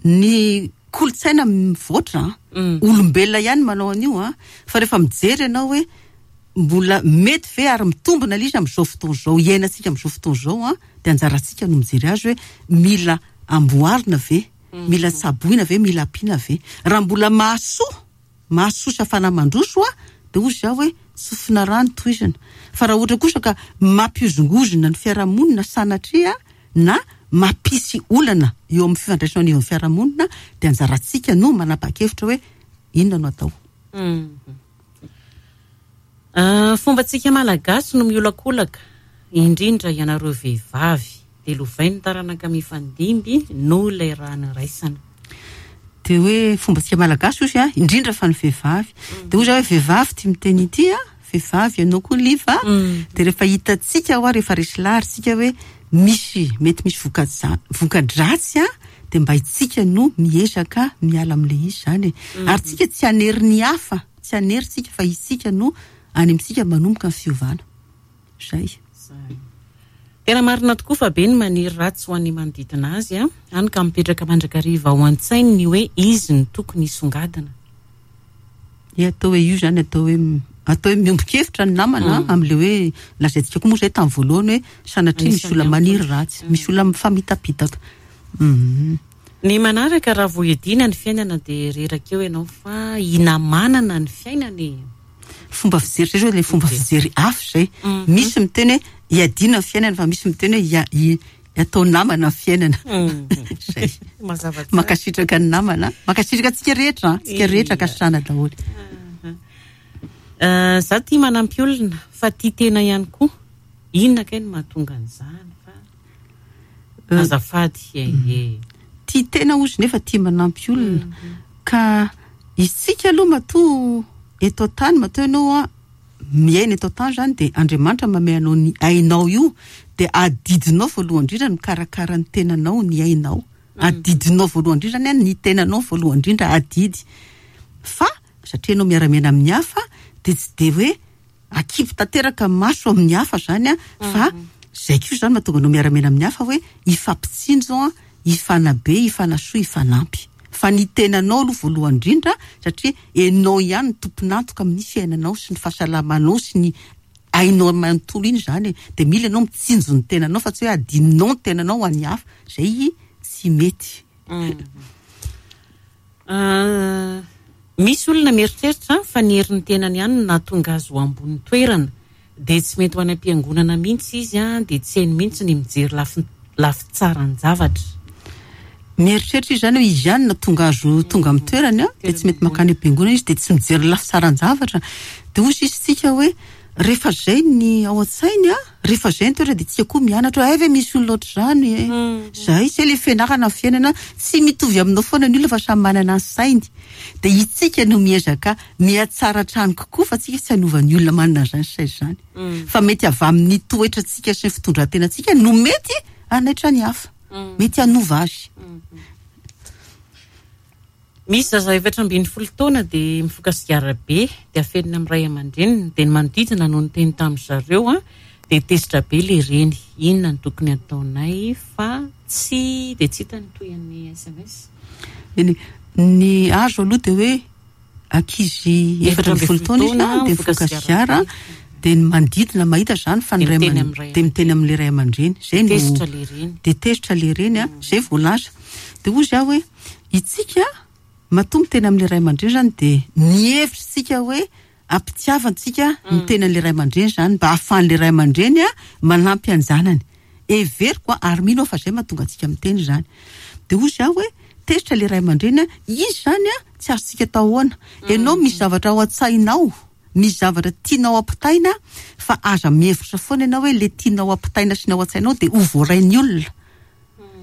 B: ny kolontsaina mivoatra, a,
A: Mm.
B: olombelona ihany manao an'io, a, fa rehefa mijery ianao hoe mbola mety ve ary mitombina ilay izy amin'izao fotoana izao, iainantsika amin'izao fotoana izao, a, dia anjarantsika no mijery azy hoe mila amboarina ve,
A: Mm.
B: mila tsaboina ve, mila ampiana ve. Raha mbola mahasoa, mahasoa sy afana mandroso, a, dia hoy aho hoe tsofina rano tohizana. Fa raha ohatra kosa ka mampiozongozona ny fiarahamonina sanatria na mampisy olana eo amin'ny fifandraisana eo amin'ny fiarahamonina, dia anjarantsika no manapa-kevitra hoe inona no atao.
A: Mm. Ah, fombantsika Malagasy no miolakolaka, indrindra ianareo vehivavy, dia lovain'ny taranaka mifandimby noho ilay raha niraisana.
B: Dia hoe fombantsika Malagasy ozy, a, indrindra fa ny vehivavy. Dia hoy zaho hoe vehivavy tia miteny ity, a, vehivavy ianao koa Liva.
A: Mm.
B: Dia rehefa hitantsika hoa, rehefa resy lahatra isika hoe misy, mety misy voka-ja-, voka-dratsy, a, dia mba itsika no miezaka miala amin'ilay izy zany e.
A: Mm.
B: Ary tsika tsy hanery ny hafa, tsy hanery tsika fa isika no any amintsika manomboka ny fiovana. Zay.
A: Zay. Tena marina tokoa fa be ny maniry ratsy ho an'ny manodidina azy, a, hany ka mipetraka mandrakariva ao an-tsainy ny hoe izy no tokony hisongadina.
B: Ia, atao hoe io zany, atao hoe m-, atao hoe miombon-kevitra ny namana,
A: Mm.
B: amin'ilay hoe lazaintsika koa moa zay tamin'ny voalohany hoe sanatria misy
A: Anisan'ny
B: olona maniry
A: antony.
B: ratsy, misy olona mifamitapitaka. Mm.
A: Ny manaraka, raha vao hiadiana ny fiainana dia reraka eo ianao fa hinamanana ny fiainana e.
B: Fomba fijery zay zao, ilay fomba fijery hafa zay.
A: Mhm.
B: Misy miteny hoe hiadiana ny fiainana, fa misy miteny hoe hia-, hi-, atao namana ny fiainana.
A: Mhm.
B: Zay.
A: Mazava tsara.
B: Mankasitraka ny namana, mankasitraka antsika rehetra, antsika rehetra
A: Ia.
B: ankasitrahana daholo.
A: Mhm. Eh, za tia manampy olona fa tia tena ihany koa. Inona kay no mahatonga an'izany fa
B: Eh,
A: azafady, e, e.
B: Tia tena ozy nefa tia manampy olona.
A: Mhm.
B: Ka isika aloha matoa eto an-tany, matoa ianao, a, miaina eto an-tany zany, dia Andriamanitra manome anao ny ainao io, dia adidinao voalohany indrindra ny mikarakara ny tenanao, ny ainao.
A: Mhm.
B: Adidinao voalohany indrindra zany, a, ny tenanao voalohany indrindra adidy. Fa satria ianao miara-miaina amin'ny hafa, dia tsy dia hoe akipy tanteraka maso amin'ny hafa zany, a, fa
A: Mhm.
B: zay koa zany mahatonga anao miara-miaina amin'ny hafa hoe hifampitsinjo, a, hifanabe, hifanasoa, hifanampy. Fa ny tenanao aloha voalohany indrindra, satria ianao ihany no tompon'antoka amin'ny fiainanao sy ny fahasalamanao sy ny ainao manontolo iny zany e. De mila ianao mitsinjo ny tenanao fa tsy hoe adinonao ny tenanao ho an'ny hafa. Zay tsy mety.
A: Ah, misy olona mieritreritra fa ny herin'ny tenany ihany no nahatonga azy ho ambony toerana, dia tsy mety ho any am-piangonana mihitsy izy a, dia tsy hainy mihitsy ny mijery lafy lafy tsaran-javatra.
B: Mieritreritra izy zany hoe izy ihany nahatonga azy ho tonga amin'ny toerany a, dia tsy mety mankany am-piangonana izy, dia tsy mijery lafy tsaran-javatra. Dia hoy izy tsika hoe rehefa zay ny ao an-tsainy a, rehefa zay ny toerana, dia tsika koa mianatra hoe ay ve misy olona ohatr'izany e. Zay, zay le fianarana amin'ny fiainana, tsy mitovy aminao foana ny olona fa samy manana ny sainy. Dia itsika no miezaka mihatsara hatrany kokoa fa tsika tsy hanova ny olona manana an'izany saina izany. Fa mety avy amin'ny toetrantsika sy ny fitondran-tenantsika no mety hanaitra ny hafa. Mety hanova azy.
A: Misy zaza efatra ambin'ny folo taona dia mifoka sigara be, dia afenina amin'ny ray aman-dreniny, dia ny manodidina no niteny tamin'ny zareo a, dia tezitra be le reny. Inona no tokony ataonay fa tsy dia tsy hita ny tohin'ny S M S.
B: Eny, ny azo aloha dia hoe ankizy efatra ambin'ny folo taona izy a, dia mifoka sigara, dia ny manodidina mahita izany fa ny
A: Dia
B: ray
A: miteny
B: aman-
A: amin'ny ray
B: dia miteny amin'ilay ray aman-dreny. Zay no
A: Tezitra le reny.
B: Dia tezitra le reny a, zay voalaza. Dia hoy izy aho hoe itsika matoa miteny amin'ilay ray aman-dreny zany dia mihevitra isika hoe ampitiavantsika miteny amin'ilay ray aman-dreny zany mba ahafahan'ilay ray aman-dreny a manampy an-janany. Heveriko a, ary mino aho fa zay mahatonga antsika miteny zany. Dia hoy izy aho hoe tezitra ilay ray aman-dreny a, izy zany a tsy azontsika atao ahoana. Ianao misy zavatra ao an-tsainao, misy zavatra tianao ampitaina, fa aza mihevitra foana ianao hoe le tianao ampitaina sy ny ao an-tsainao dia ho voarain'ny olona.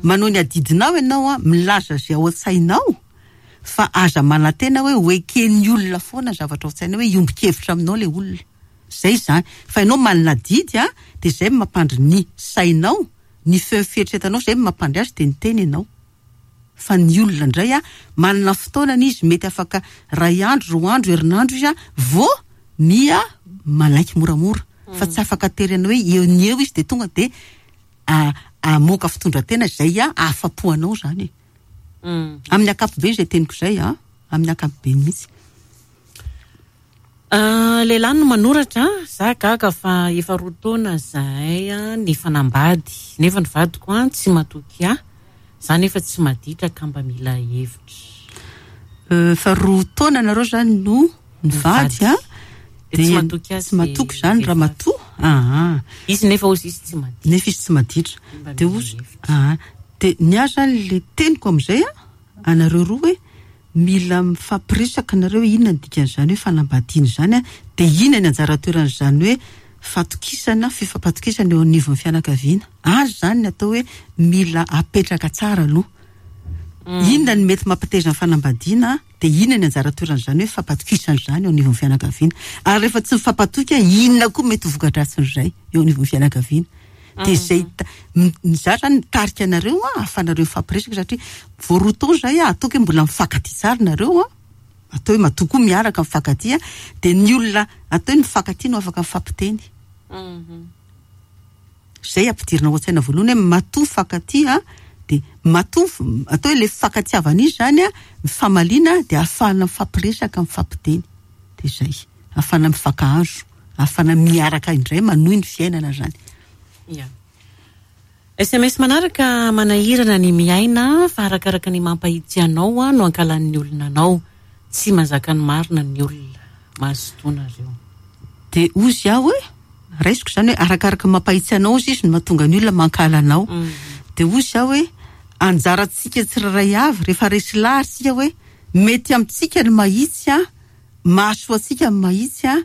B: Manao ny adidinao ianao a, milaza izay ao an-tsainao, fa aza manantena hoe ho eken'ny olona foana ny zavatra ao an-tsainao, hoe hiombon-kevitra aminao ilay olona. Zay izany. Fa ianao manana adidy a, dia izay no mampandry ny sainao, ny feo fieritreretanao, izay no mampandry azy, dia niteny ianao. Fa ny olona indray a, manana fotoanany izy, mety afaka ray andro, roa andro, herinandro izy a, vao mia manaiky moramora. Fa tsy afaka terena hoe eo ny eo izy dia tonga dia a-, amoaka fitondran-tena izay a, ahafapo anao izany e.
A: Mm.
B: Amin'ny ankapobeny izay teniko izay a, amin'ny ankapobeny mihitsy.
A: Ah, lehilahy no manoratra, za gaga fa efa roa taona zahay a, ny fanambady, nefa ny vadiko a, tsy matoky ahy, za nefa tsy maditra ka mba mila hevitra.
B: Euh, fa roa taona nareo zany no nivady a,
A: Dia tsy
B: dia
A: matoky azy
B: tsy matoky
A: le
B: zany
A: vehivavy.
B: ramatoa. Ah, ah.
A: Izy nefa ozy izy tsy maditra.
B: Nefa izy tsy maditra.
A: Mba
B: Dia
A: mila
B: ozy,
A: hevitra.
B: ah, dia ny ahy zany le teniko amin'izay a, anareo roa hoe mila mifampiresaka nareo hoe inona ny dikan'izany hoe fanambadiana izany a, dia inona ny anjara toeran'izany hoe fatokisana, fifampatokisana eo anivon'ny fianakaviana. Azy zany ny atao hoe mila apetraka tsara aloha. Inona ny mety mampiteza ny fanambadiana, dia inona ny anjara toeran'izany hoe fampatokisana izany eo anivon'ny fianakaviana. Ary rehefa tsy mifampatoky, inona koa mety ho voka-dratsin'izay eo anivon'ny fianakaviana. Dia izay ta-, m-, ny za zany mitarika anareo a, ahafahanareo mifampiresaka, satria vao roa taona izay a, ataoko hoe mbola mifankatia tsara nareo a, atao hoe matoa koa miaraka mifankatia, dia ny olona atao hoe mifankatia no afaka mifampiteny. Izay ampidirina ao an-tsaina voalohany hoe matoa mifankatia, dia matoa f-, atao hoe le fifankatiavana izy zany a, mifamaliana, dia ahafahana mifampiresaka, mifampiteny. Dia izay, ahafahana mifankahazo, ahafahana miaraka indray manohy ny fiainana zany.
A: Ya. S M S manaraka, manahirana ny miaina fa arakaraka ny mampahitsy anao a, no ankalan'ny olona anao. Tsy mazaka ny marina ny olona. Mazotoa nareo.
B: Dia hozy aho hoe, raisiko izany hoe arakaraka ny mampahitsy anao izy, izy no mahatonga ny olona mankahala anao.
A: Mm.
B: Dia hozy aho hoe anjarantsika tsirairay avy rehefa resy lahatra isika hoe mety amintsika ny mahitsy a, mahasoa antsika ny mahitsy a,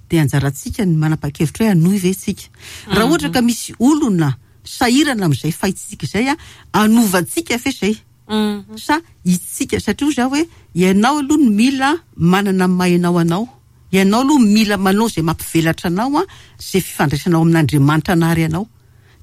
B: dia anjarantsika ny manapa-kevitra hoe hanohy ve isika. Raha ohatra ka misy olona sahirana amin'izay fahitsika izay a, hanovantsika fe izay.
A: Mm.
B: Sa itsika, satria hozy aho hoe ianao aloha no mila manana ny maha ianao anao. Ianao aloha mila manao izay mampivelatra anao a, izay fifandraisanao amin'Andriamanitra nary anao.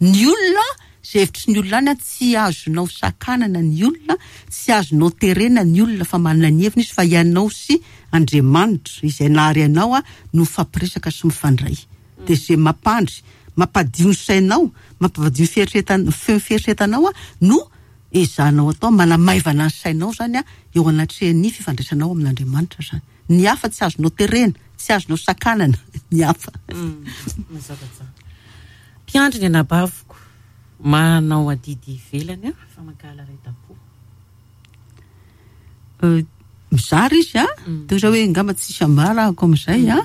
B: Ny olona, izay hevitry ny olona any a, tsy azonao sakanana ny olona, tsy azonao terena ny olona fa manana ny heviny izy, fa ianao sy Andriamanitra izay nary anao a, no mifampiresaka sy mifandray. Dia izay mampandry, mampadio ny sainao, mampadio ny fieritreretan-, feo ny fieritreretanao a, no ezahanao atao, manamaivana ny sainao zany a eo anatrehan'ny fifandraisanao amin'Andriamanitra zany. Ny hafa tsy azonao terena, tsy azonao sakanana ny hafa.
A: Mazava tsara. Mpiandry ny anabaviko, manao adidy ivelany a, fa mankahala ray tampo.
B: Mizara izy a, toy izao hoe angamba tsisy ambara ahako amin'izay a.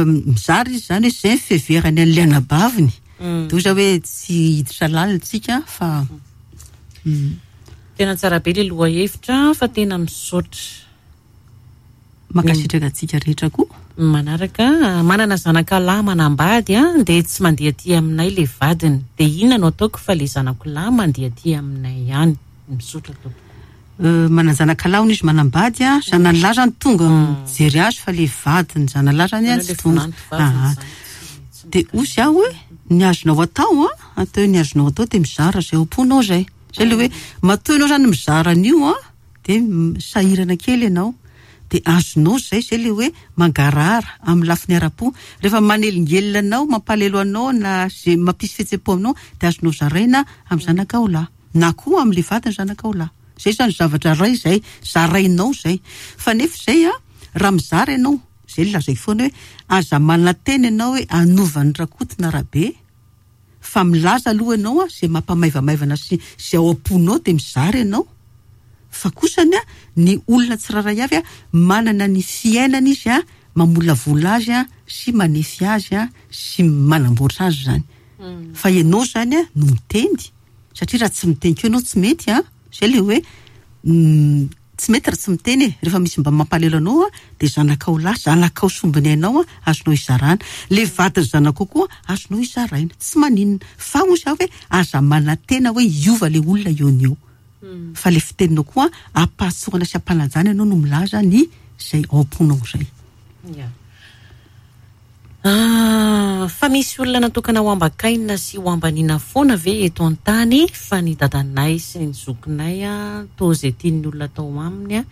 B: Mizara izy zany hoe zay ny fiheverany an'ilay anabaviny. Toy izao hoe tsy hiditra lalina tsika fa
A: tena tsara be le lohahevitra fa tena misaotra.
B: Mankasitraka antsika rehetra koa.
A: Manaraka, manana zanaka lahy manambady a, dia tsy mandeha aty aminay le vadiny. Dia inona no ataoko fa le zanako lahy mandeha aty aminay ihany? Misaotra tompoko.
B: Manana zanaka lahy hono izy manambady a, zanany lahy zany tonga mijery azy fa le vadiny zanany lahy zany a tsy tonga. Dia hoy aho hoe ny azonao atao a, atao hoe ny azonao atao dia mizara izay ao am-ponao izay. Izay le hoe matoa ianao zany mizara an'io a, dia sahirana kely ianao. Dia azonao izay, izay le hoe mangarahara amin'ny lafiny ara-po. Rehefa manelingelina anao, mampalelo anao na izay mampisy fihetseham-po aminao, dia azonao zaraina amin'ny zanakao lahy na koa amin'ilay vadiny zanakao lahy. Izay zany zavatra iray izay zarainao izay. Fa nefa izay a, raha mizara ianao, izay lazaiko foana hoe aza manantena ianao hoe hanova ny Rakoto na Rabe, fa milaza aloha ianao a, izay mampamaivamaivana sy izay ao am-ponao dia mizara ianao. Fa kosany a, ny olona tsirairay avy a, manana ny fiainana izy a, mamolavola azy a, sy manefy azy a, sy manamboatra azy zany. Fa ianao zany a no miteny, satria raha tsy miteny koa ianao tsy mety a. Izay le hoe tsy mety raha tsy miteny e. Rehefa misy mba mampalelo anao a, dia zanakao lahy, zanakao sombiny ainao a, azonao izarana. Le vadiny zanakao koa azonao izaraina, tsy maninona. Fa hoy zaho hoe aza manantena hoe hiova le olona eo no eo. Fa le fiteninao koa ampahatsorana sy ampanajana ianao no milaza ny izay ao am-ponao izay.
A: Ya. Ah, fa misy olona natokana ho ambakaina sy ho ambanina foana ve eto an-tany, fa ny dadanay sy ny zokinay a, toa izay tian'ny olona atao aminy a,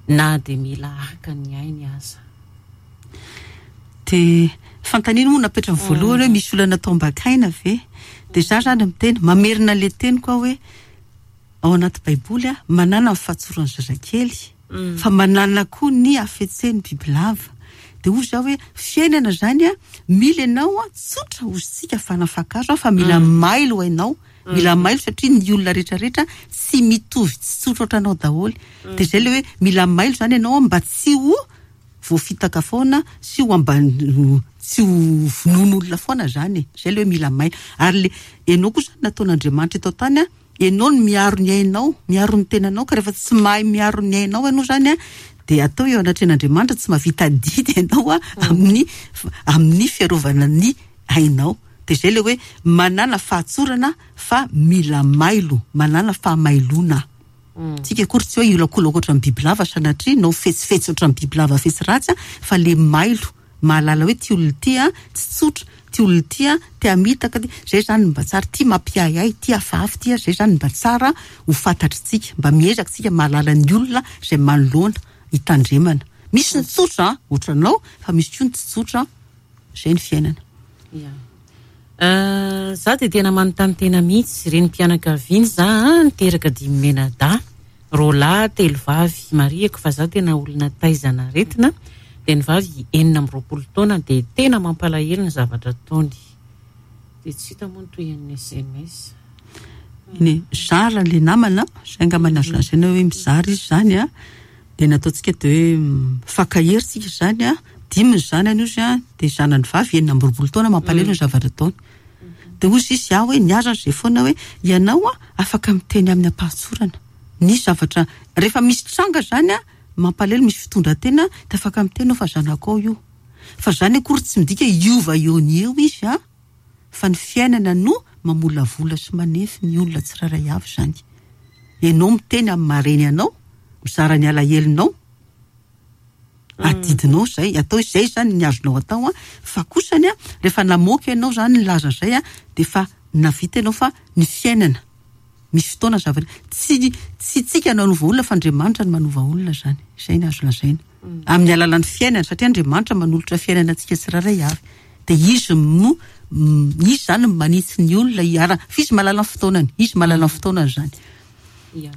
A: na dia mila haka ny ainy aza.
B: Dia fanontaniana moa napetrany voalohany hoe misy olona natao ambakaina ve? Dia za zany miteny, mamerina le teniko aho hoe ao anaty Baiboly a, manana ny fahatsoran'ny zazakely, fa manana koa ny hafetsen'ny bibilava. Dia hoy zaho hoe fiainana zany a, mila ianao a, tsotra hoy isika fa nafakazo a, fa mila mailo ianao. Mila mailo satria ny olona rehetrarehetra tsy mitovy, tsy tsotra ohatranao daholo. Dia izay le hoe mila mailo zany ianao mba tsy ho voafitaka foana, sy ho ambany, tsy ho vonoin'olona foana zany e. Izay le hoe mila mailo. Ary le ianao koa zany nataon'Andriamanitra eto an-tany a, ianao no miaro ny ainao, miaro ny tenanao, ka rehefa tsy mahay miaro ny ainao ianao zany a, dia atao eo anatrehan'Andriamanitra tsy mahavita adidy ianao a, amin'ny, amin'ny fiarovana ny ainao. Dia izay le hoe manana fahatsorana fa mila mailo, manana fahamailona. Tsika akory tsy hoe hiolakolaka ohatran'ny bibilava sanatria, na ho fetsifetsy ohatran'ny bibilava fetsy ratsy a, fa le mailo, mahalala hoe ty olona ty a, tsy tsotra, ty olona ty a, te hamitaka ty, zay zany mba tsara, ty mampiahiahy, ty hafahafa ty a, zay zany mba tsara ho fantatritsika, mba miezaka tsika mahalala ny olona izay manoloana hitandremana. Misy ny tsotra a, ohatranao, fa misy koa ny tsy tsotra, zay ny fiainana.
A: Ya. Za dia tena manontany tena mihitsy, reny mpianakaviana za a, niteraka dimy menadahy, roa lahy, telo vavy. Marihiko fa za tena olona taizana aretina, dia ny vavy enina amby roapolo taona, dia tena mampalahelo ny zavatra ataony. Dia tsy hita moa ny tohin'ny S M S.
B: Ny zara le namana, zay angamba ny azo lazaina hoe mizara izy zany a, dia nataontsika dia hoe mifankahery tsika zany a, dimy ny zanany izy a, dia zanany vavy enina amby roapolo taona mampalahelo ny zavatra ataony. Dia hoy izy aho hoe niaza izay foana hoe ianao a afaka miteny amin'ny ampahatsorana. Ny zavatra rehefa misy tranga zany a, mampalahelo, misy fitondran-tena, dia afaka miteny fa zanakao io. Fa zany akory tsy midika hiova eo ny eo izy a, fa ny fiainana no mamolavola sy manefy ny olona tsirairay avy zany. Ianao miteny amin'ny maha-reny anao, mizara ny alahelonao, adidinao izay, atao izay zany ny azonao atao a. Fa kosany a, rehefa namoaka ianao zany nilaza izay a, dia efa navita ianao fa ny fiainana misy fotoana zavatra tsy, tsy tsika no hanova olona fa Andriamanitra no manova olona zany. Izay ny azo lazaina. Amin'ny alalan'ny fiainana, satria Andriamanitra manolotra fiainana antsika tsirairay avy. Dia izy no, izy zany no manitsy ny olona hiara, fa izy mahalala ny fotoanany, izy mahalala ny fotoanany zany.
A: Ia.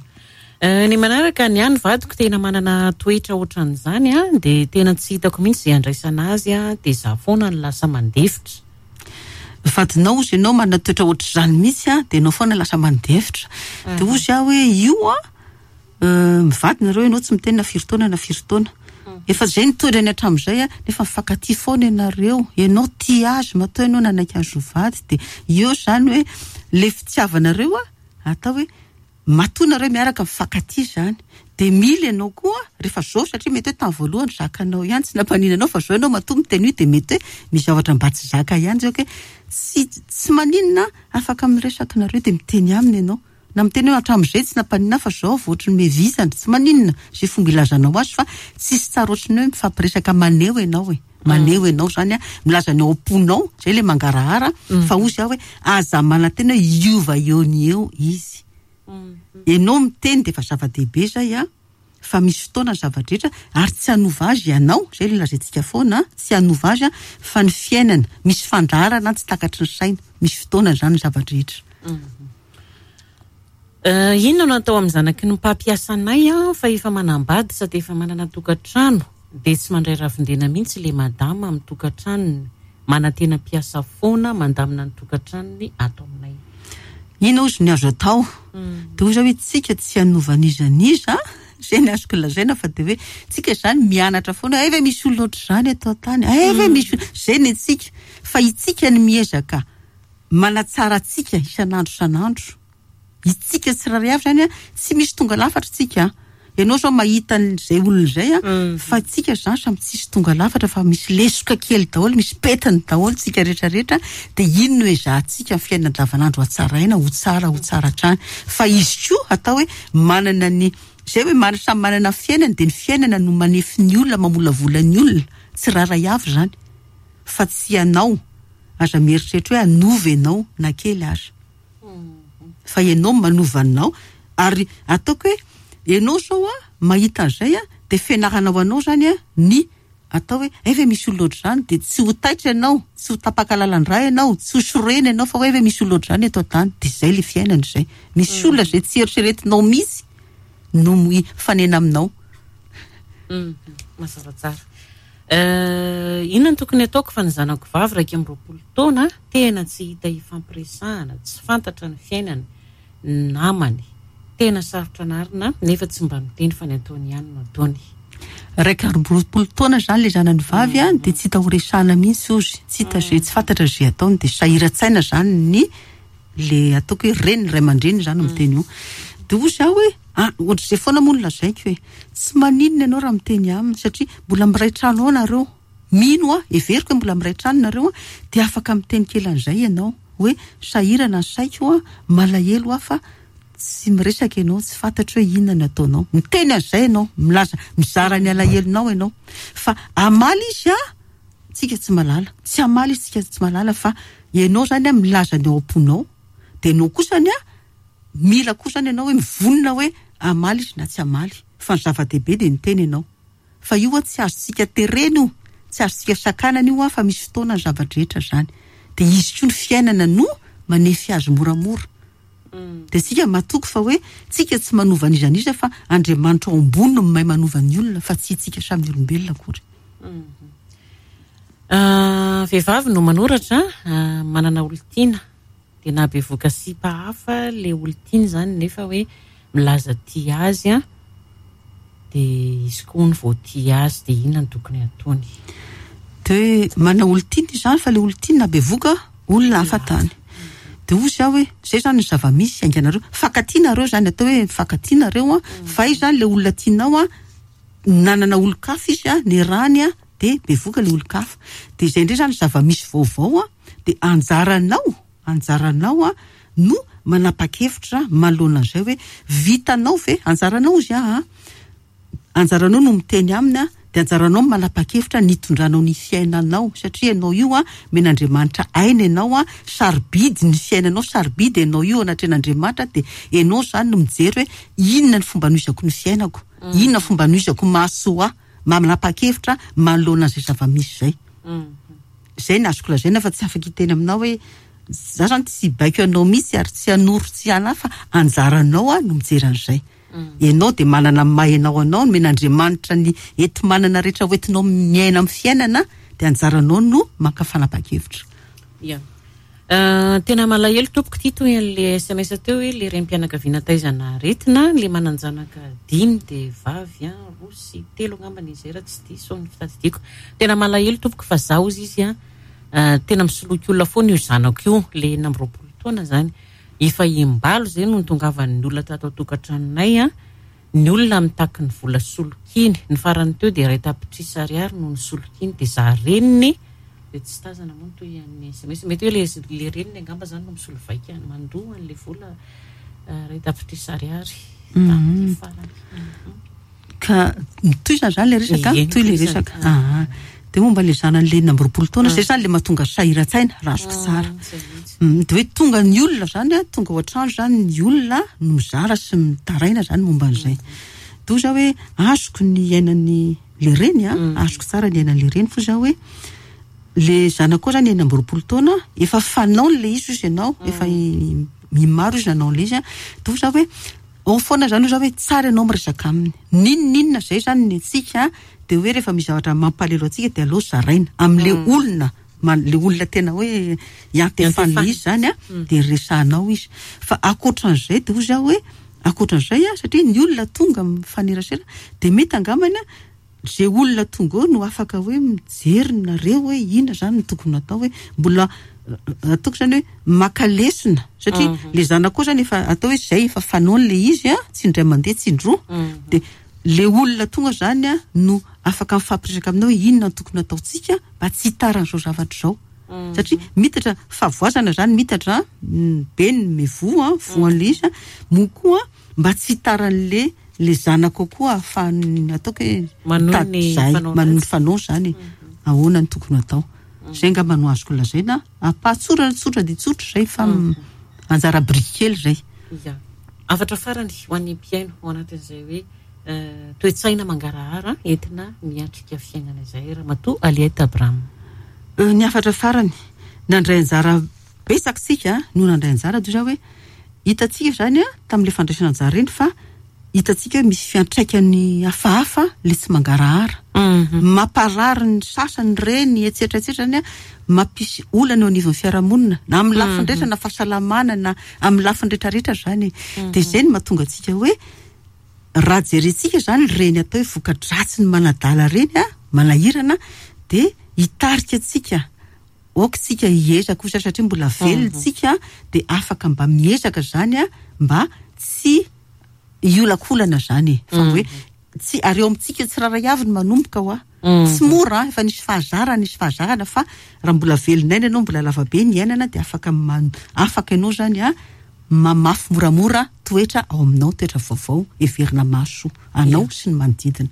A: Ny manaraka ny any vadiko tena manana toetra ohatran'izany a, dia tena tsy hitako mihitsy izay andraisana azy a, dia za foana ny lasa mandefitra.
B: Vadinao ozy ianao manana toetra ohatr'izany mihitsy a, dia ianao foana lasa mandefitra. Dia ozy aho hoe io a, mivady nareo ianao tsy miteny na firy taona na firy taona. Efa izay ny toetrany hatramin'izay a, nefa mifankatia foana ianareo. Ianao tia azy, matoa ianao nanaiky azy ho vady, dia eo izany hoe le fitiavanareo a, atao hoe matoa nareo miaraka mifankatia izany. Dia mila ianao koa rehefa zao, satria mety hoe tamin'ny voalohany zakanao ihany tsy nampanina anao, fa zao ianao matoa miteny io dia mety hoe misy zavatra mba tsy zaka ihany zay, hoe tsy, tsy maninona afaka miresaka nareo dia miteny aminy ianao. Na miteny hoe hatramin'izay tsy nampanina fa zao vao ohatry ny mevizana, tsy maninona izay fomba ilazanao azy, fa tsisy tsara ohatry ny hoe mifampiresaka maneho ianao e. Maneho ianao zany a, milaza ny ao am-ponao, zay le mangarahara, fa ozy aho hoe aza manantena hoe hiova eo ny eo izy. Ianao miteny dia efa zava-dehibe zay a, fa misy fotoana ny zava-drehetra ary tsy hanova azy ianao, zay le lazaintsika foana, tsy hanova azy a, fa ny fiainana, misy fandaharana tsy takatry ny saina, misy fotoana zany ny zava-drehetra.
A: Inona no atao amin'ny zanaky ny mpampiasa anay a, fa efa manambady sady efa manana tokantrano, dia tsy mandray ravin-dena mihitsy le madama amin'ny tokantranony, manantena mpiasa foana mandamina ny tokantranony ato aminay.
B: Inona ozy ny azo atao? Dia hoy zao hoe tsika tsy hanova n'iza n'iza, izay ny azoko lazaina, fa dia hoe tsika izany mianatra foana, ay ve misy olona ohatr'izany eto an-tany, ay ve misy olona, izay ny antsika, fa itsika ny miezaka manatsara antsika isan'andro isan'andro. Itsika tsirairay avy izany a, tsy misy tonga lafatra tsika. Ianao zao mahita an'izay olona izay a, fa tsika izany samy tsisy tonga lafatra, fa misy lesoka kely daholo, misy petiny daholo tsika rehetrarehetra, dia ino no ezahantsika amin'ny fiainana andavanandro hatsaraina ho tsara, ho tsara hatrany. Fa izy koa atao hoe manana ny, izay hoe mana-, samy manana ny fiainany, dia ny fiainana no manefy ny olona, mamolavola ny olona, tsirairay avy izany. Fa tsy ianao, aza mieritreritra hoe hanova ianao na kely aza. Fa ianao manova anao, ary ataoko hoe ianao zao a, mahita an'izay a, dia fianarana ho anao zany a, ny atao hoe ay ve misy olona ohatr'izany, dia tsy ho taitra ianao, tsy ho tapaka lalan-dra ianao, tsy ho sorena ianao, fa hoe ve misy olona ohatr'izany eto an-tany, dia izay le fiainana izay. Misy olona izay tsy eritreretinao mihitsy no mifanena aminao.
A: Mazava tsara. Inona no tokony ataoko fa ny zanako vavy iraika amby roapolo taona tena tsy hita ifampiresahana, tsy fantatra ny fiainany, ny namany, tena sarotra anarina nefa tsy mba miteny fa ny ataony ihany no ataony.
B: Iraika amby roapolo taona izany le zanany vavy a, dia tsy hita ho resahana mihitsy ozy, tsy hita izay, tsy fantatra izay ataony, dia sahiran-tsaina izany ny le ataoko hoe reny, ray aman-dreny izany miteny io. Dia hoy aho hoe, ah, ohatr'izay foana moa no lazaiko hoe, tsy maninona ianao raha miteny aminy, satria mbola miray trano ao nareo. Mino aho, heveriko hoe mbola miray trano nareo, dia afaka miteny kely an'izay ianao, hoe sahirana ny saiko aho, malahelo aho fa tsy miresaka ianao, tsy fantatro hoe inona no ataonao. Miteny an'izay ianao, milaza, mizara ny alahelonao ianao. Fa hamaly izy a, tsika tsy mahalala. Tsy hamaly izy, tsika tsy mahalala, fa ianao zany a milaza ny ao am-ponao. Dia ianao kosa ny a, mila koa zany ianao hoe mivonona hoe hamaly izy na tsy hamaly. Fa ny zava-dehibe dia miteny ianao. Fa io a tsy azontsika terena io, tsy azontsika sakanana io a, fa misy fotoana ny zava-drehetra zany. Dia izy koa ny fiainana no manefy azy moramora. Dia tsika matoky fa hoe tsika tsy manova n'iza n'iza, fa Andriamanitra ao ambony no mahay manova ny olona, fa tsy tsika samy olombelona akory.
A: Ah, vehivavy no manoratra, ah, manana olon-tiana, dia nahabevoka sipa hafa le olon-tiana izany, nefa hoe milaza tia azy a, dia izy koa no vao tia azy, dia inona no tokony ataony?
B: Dia manana olon-tiana izany, fa le olon-tiana nahabevoka olona hafa tany. Dia hoy izy aho hoe, izay izany ny zava-misy hainganareo, fankatianareo izany, atao hoe fankatianareo a, fa izy izany le olona tianao a, nanana olon-kafa izy a, nirany a, dia bevoka le olon-kafa. Dia izay indray izany zava-misy vaovao a, dia anjaranao, anjaranao a, no manapa-kevitra manoloana an'izay hoe vitanao ve, anjaranao izy a, anjaranao no miteny aminy a, dia anjaranao manapa-kevitra ny hitondranao ny fiainanao, satria ianao io a, omen'Andriamanitra aina ianao a, sarobidy ny fiainanao, sarobidy ianao io anatrehan'Andriamanitra, dia ianao izany no mijery hoe inona ny fomba anohizako ny fiainako, inona ny fomba anohizako mahasoa ahy, manapa-kevitra manoloana an'izay zava-misy izay. Izay no azoko lazaina, fa tsy afaka hiteny aminao hoe Za zany tsy baiko anao mihitsy ary tsy hanoro tsy hana fa anjaranao a no mijery an'izay. Ianao dia manana ny maha ianao anao, nomen'Andriamanitra ny enti-manana rehetra hoentinao miaina amin'ny fiainana, dia anjaranao no maka fanapahan-kevitra.
A: Ia. Tena malahelo tompoko ity toy an'le S M S teo hoe le renim-pianakaviana taizana aretina, le manan-janaka dimy dia vavy, a, roa sy telo angamba ny izay raha tsy diso ny fitadidiako. Tena malahelo tompoko fa zaho izy izy, a, tena misoloky olona foana io zanako io, le enina amby roapolo taona zany. Efa imbalo zay no nitongavan'ny olona tato an-tokantranonay, a, ny olona mitaky ny vola solokiny. Ny farany teo dia iray tapitrisa ariary no nisolokiny, dia za reniny dia tsy tazana moa ny toy an'ny S M S. Mety hoe le, le reniny angamba zany no misolo vaika mandoa an'le vola, eh, iray tapitrisa ariary tamin'ity farany.
B: Ka mitohizana zany le resaka,
A: Ie,
B: mitohy le
A: mitohizana.
B: resaka. Ah, dia momba le zanany le enina amby roapolo taona,
A: Mm.
B: zay zany le mahatonga sahiran-tsaina, raha azoko
A: Mm,
B: tsara.
A: zay mihitsy.
B: Mm, dia hoe tonga ny olona zany, a, tonga ao an-trano zany ny olona no mizara sy mitaraina zany momba an'izay. Dia hoy zaho hoe azoko ny iainan'ny le reny, a,
A: Mm.
B: azoko tsara ny iainan'le reny, fa zaho hoe le zanako zany enina amby roapolo taona, efa fanaony le izy ozy ianao,
A: Mm.
B: efa i-, mimaro izy nanao le izy, a. Dia hoy zaho hoe ao foana zany hoy zaho hoe tsara ianao miresaka aminy. N'inon'inona zay zany ny antsika, dia hoe rehefa misy zavatra mampalahelo antsika dia aleo zaraina amin'le
A: Mm.
B: olona, man-, le olona tena hoe iantefan'le
A: Iantefan'ny.
B: izy zany, a,
A: Mm.
B: dia resahanao izy. Fa ankoatran'izay dia hoy zaho hoe ankoatran'izay, a, satria ny olona tonga mifanerasera dia mety angambany, a, zay olona tonga eo no afaka hoe mijery nareo hoe inona zany no tokony atao, hoe mbola ataoko zany hoe maka lesona, satria
A: Mhm.
B: le zanako zany efa atao hoe zay efa fanaony le izy, a, tsy indray mandeha tsy indroa.
A: Mhm.
B: Dia le olona tonga zany, a, no afaka mifampiresaka aminao hoe inona no tokony ataontsika mba tsy hitaran'izao zavatra izao.
A: Mhm.
B: Satria mitatra fahavoazana zany, mitatra, mm, be ny mivoa, a, voan'le izy, a, moa koa mba tsy hitaran'le le zanako koa ahafahany ataoko hoe
A: Manohy
B: mitady
A: ny
B: zay,
A: fanao
B: manohy ny
A: ratsy.
B: fanao zany.
A: Mhm.
B: Ahoana no tokony atao? Zay angamba no azoko lazaina. Ampahatsorana tsotra dia tsotra zay fa
A: Mhm.
B: anjara biriky kely zay.
A: Ia. Hafatra farany ho an'ny mpihaino ao anatin'izay hoe, eh, toe-tsaina mangarahara entina miatrika fiainana izay, Ramatoa Aliette Abraham.
B: Eh, ny hafatra farany, nandray anjara betsaka isika, no nandray anjara toy izao hoe hitantsika zany, a, tamin'ilay fandraisana anjara iny fa hitantsika hoe misy fiantraikany hafahafa le tsy mangarahara.
A: Mhm.
B: Mamparary ny sasany reny, et cetera, et cetera zany, a, mampisy olana eo anivon'ny fiarahamonina, na amin'ny lafiny
A: Mhm.
B: rehetra, na fahasalamana, na amin'ny lafiny rehetrarehetra zany.
A: Mhm.
B: Dia izay no mahatonga antsika hoe raha jerentsika zany reny atao hoe voka-dratsy ny manadala reny, a, manahirana, dia hitarika antsika. Aoka isika hiezaka kosa satria mbola velona
A: Mhm.
B: isika, dia afaka mba miezaka zany, a, mba tsy hiolakolana zany. Fa
A: Mhm.
B: hoe tsy ary eo amintsika tsirairay avy no manomboka hoa.
A: Mhm.
B: Tsy mora, efa nisy fahazarana, nisy fahazarana, fa raha mbola velona aina ianao, mbola lavabe ny iainana, dia afaka man-, afaka ianao zany, a, mamafy moramora toetra ao aminao, toetra vaovao heverina mahasoa anao
A: Ia.
B: sy ny manodidina.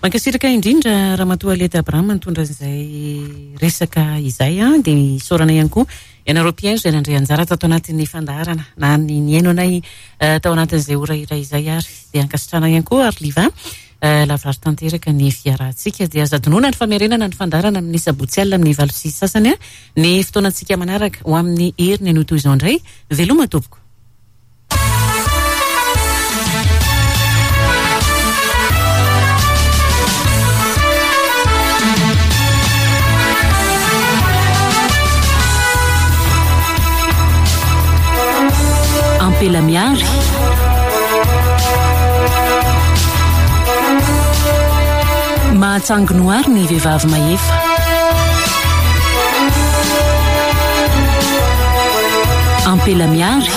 A: Mankasitraka indrindra Ramatoa Aliette Abraham nitondra izay resaka izay, a, dia isaorana ihany koa ianareo mpihaino izay nandray anjara tato anatin'ny fandaharana na ny nihaino anay, eh, tao anatin'izay ora iray izay, ary dia ankasitrahana ihany koa ary Liva, eh, lavorary tanteraka ny fiarahantsika. Dia aza adinoina ny famerenana ny fandaharana amin'ny sabotsy alina amin'ny valo sy sasany, a, ny fotoanantsika manaraka ho amin'ny heriny anio toy izao indray. Veloma tompoko.
C: Ampela miary. Mahatsanginoary ny vehivavy mahefa. Ampela miary.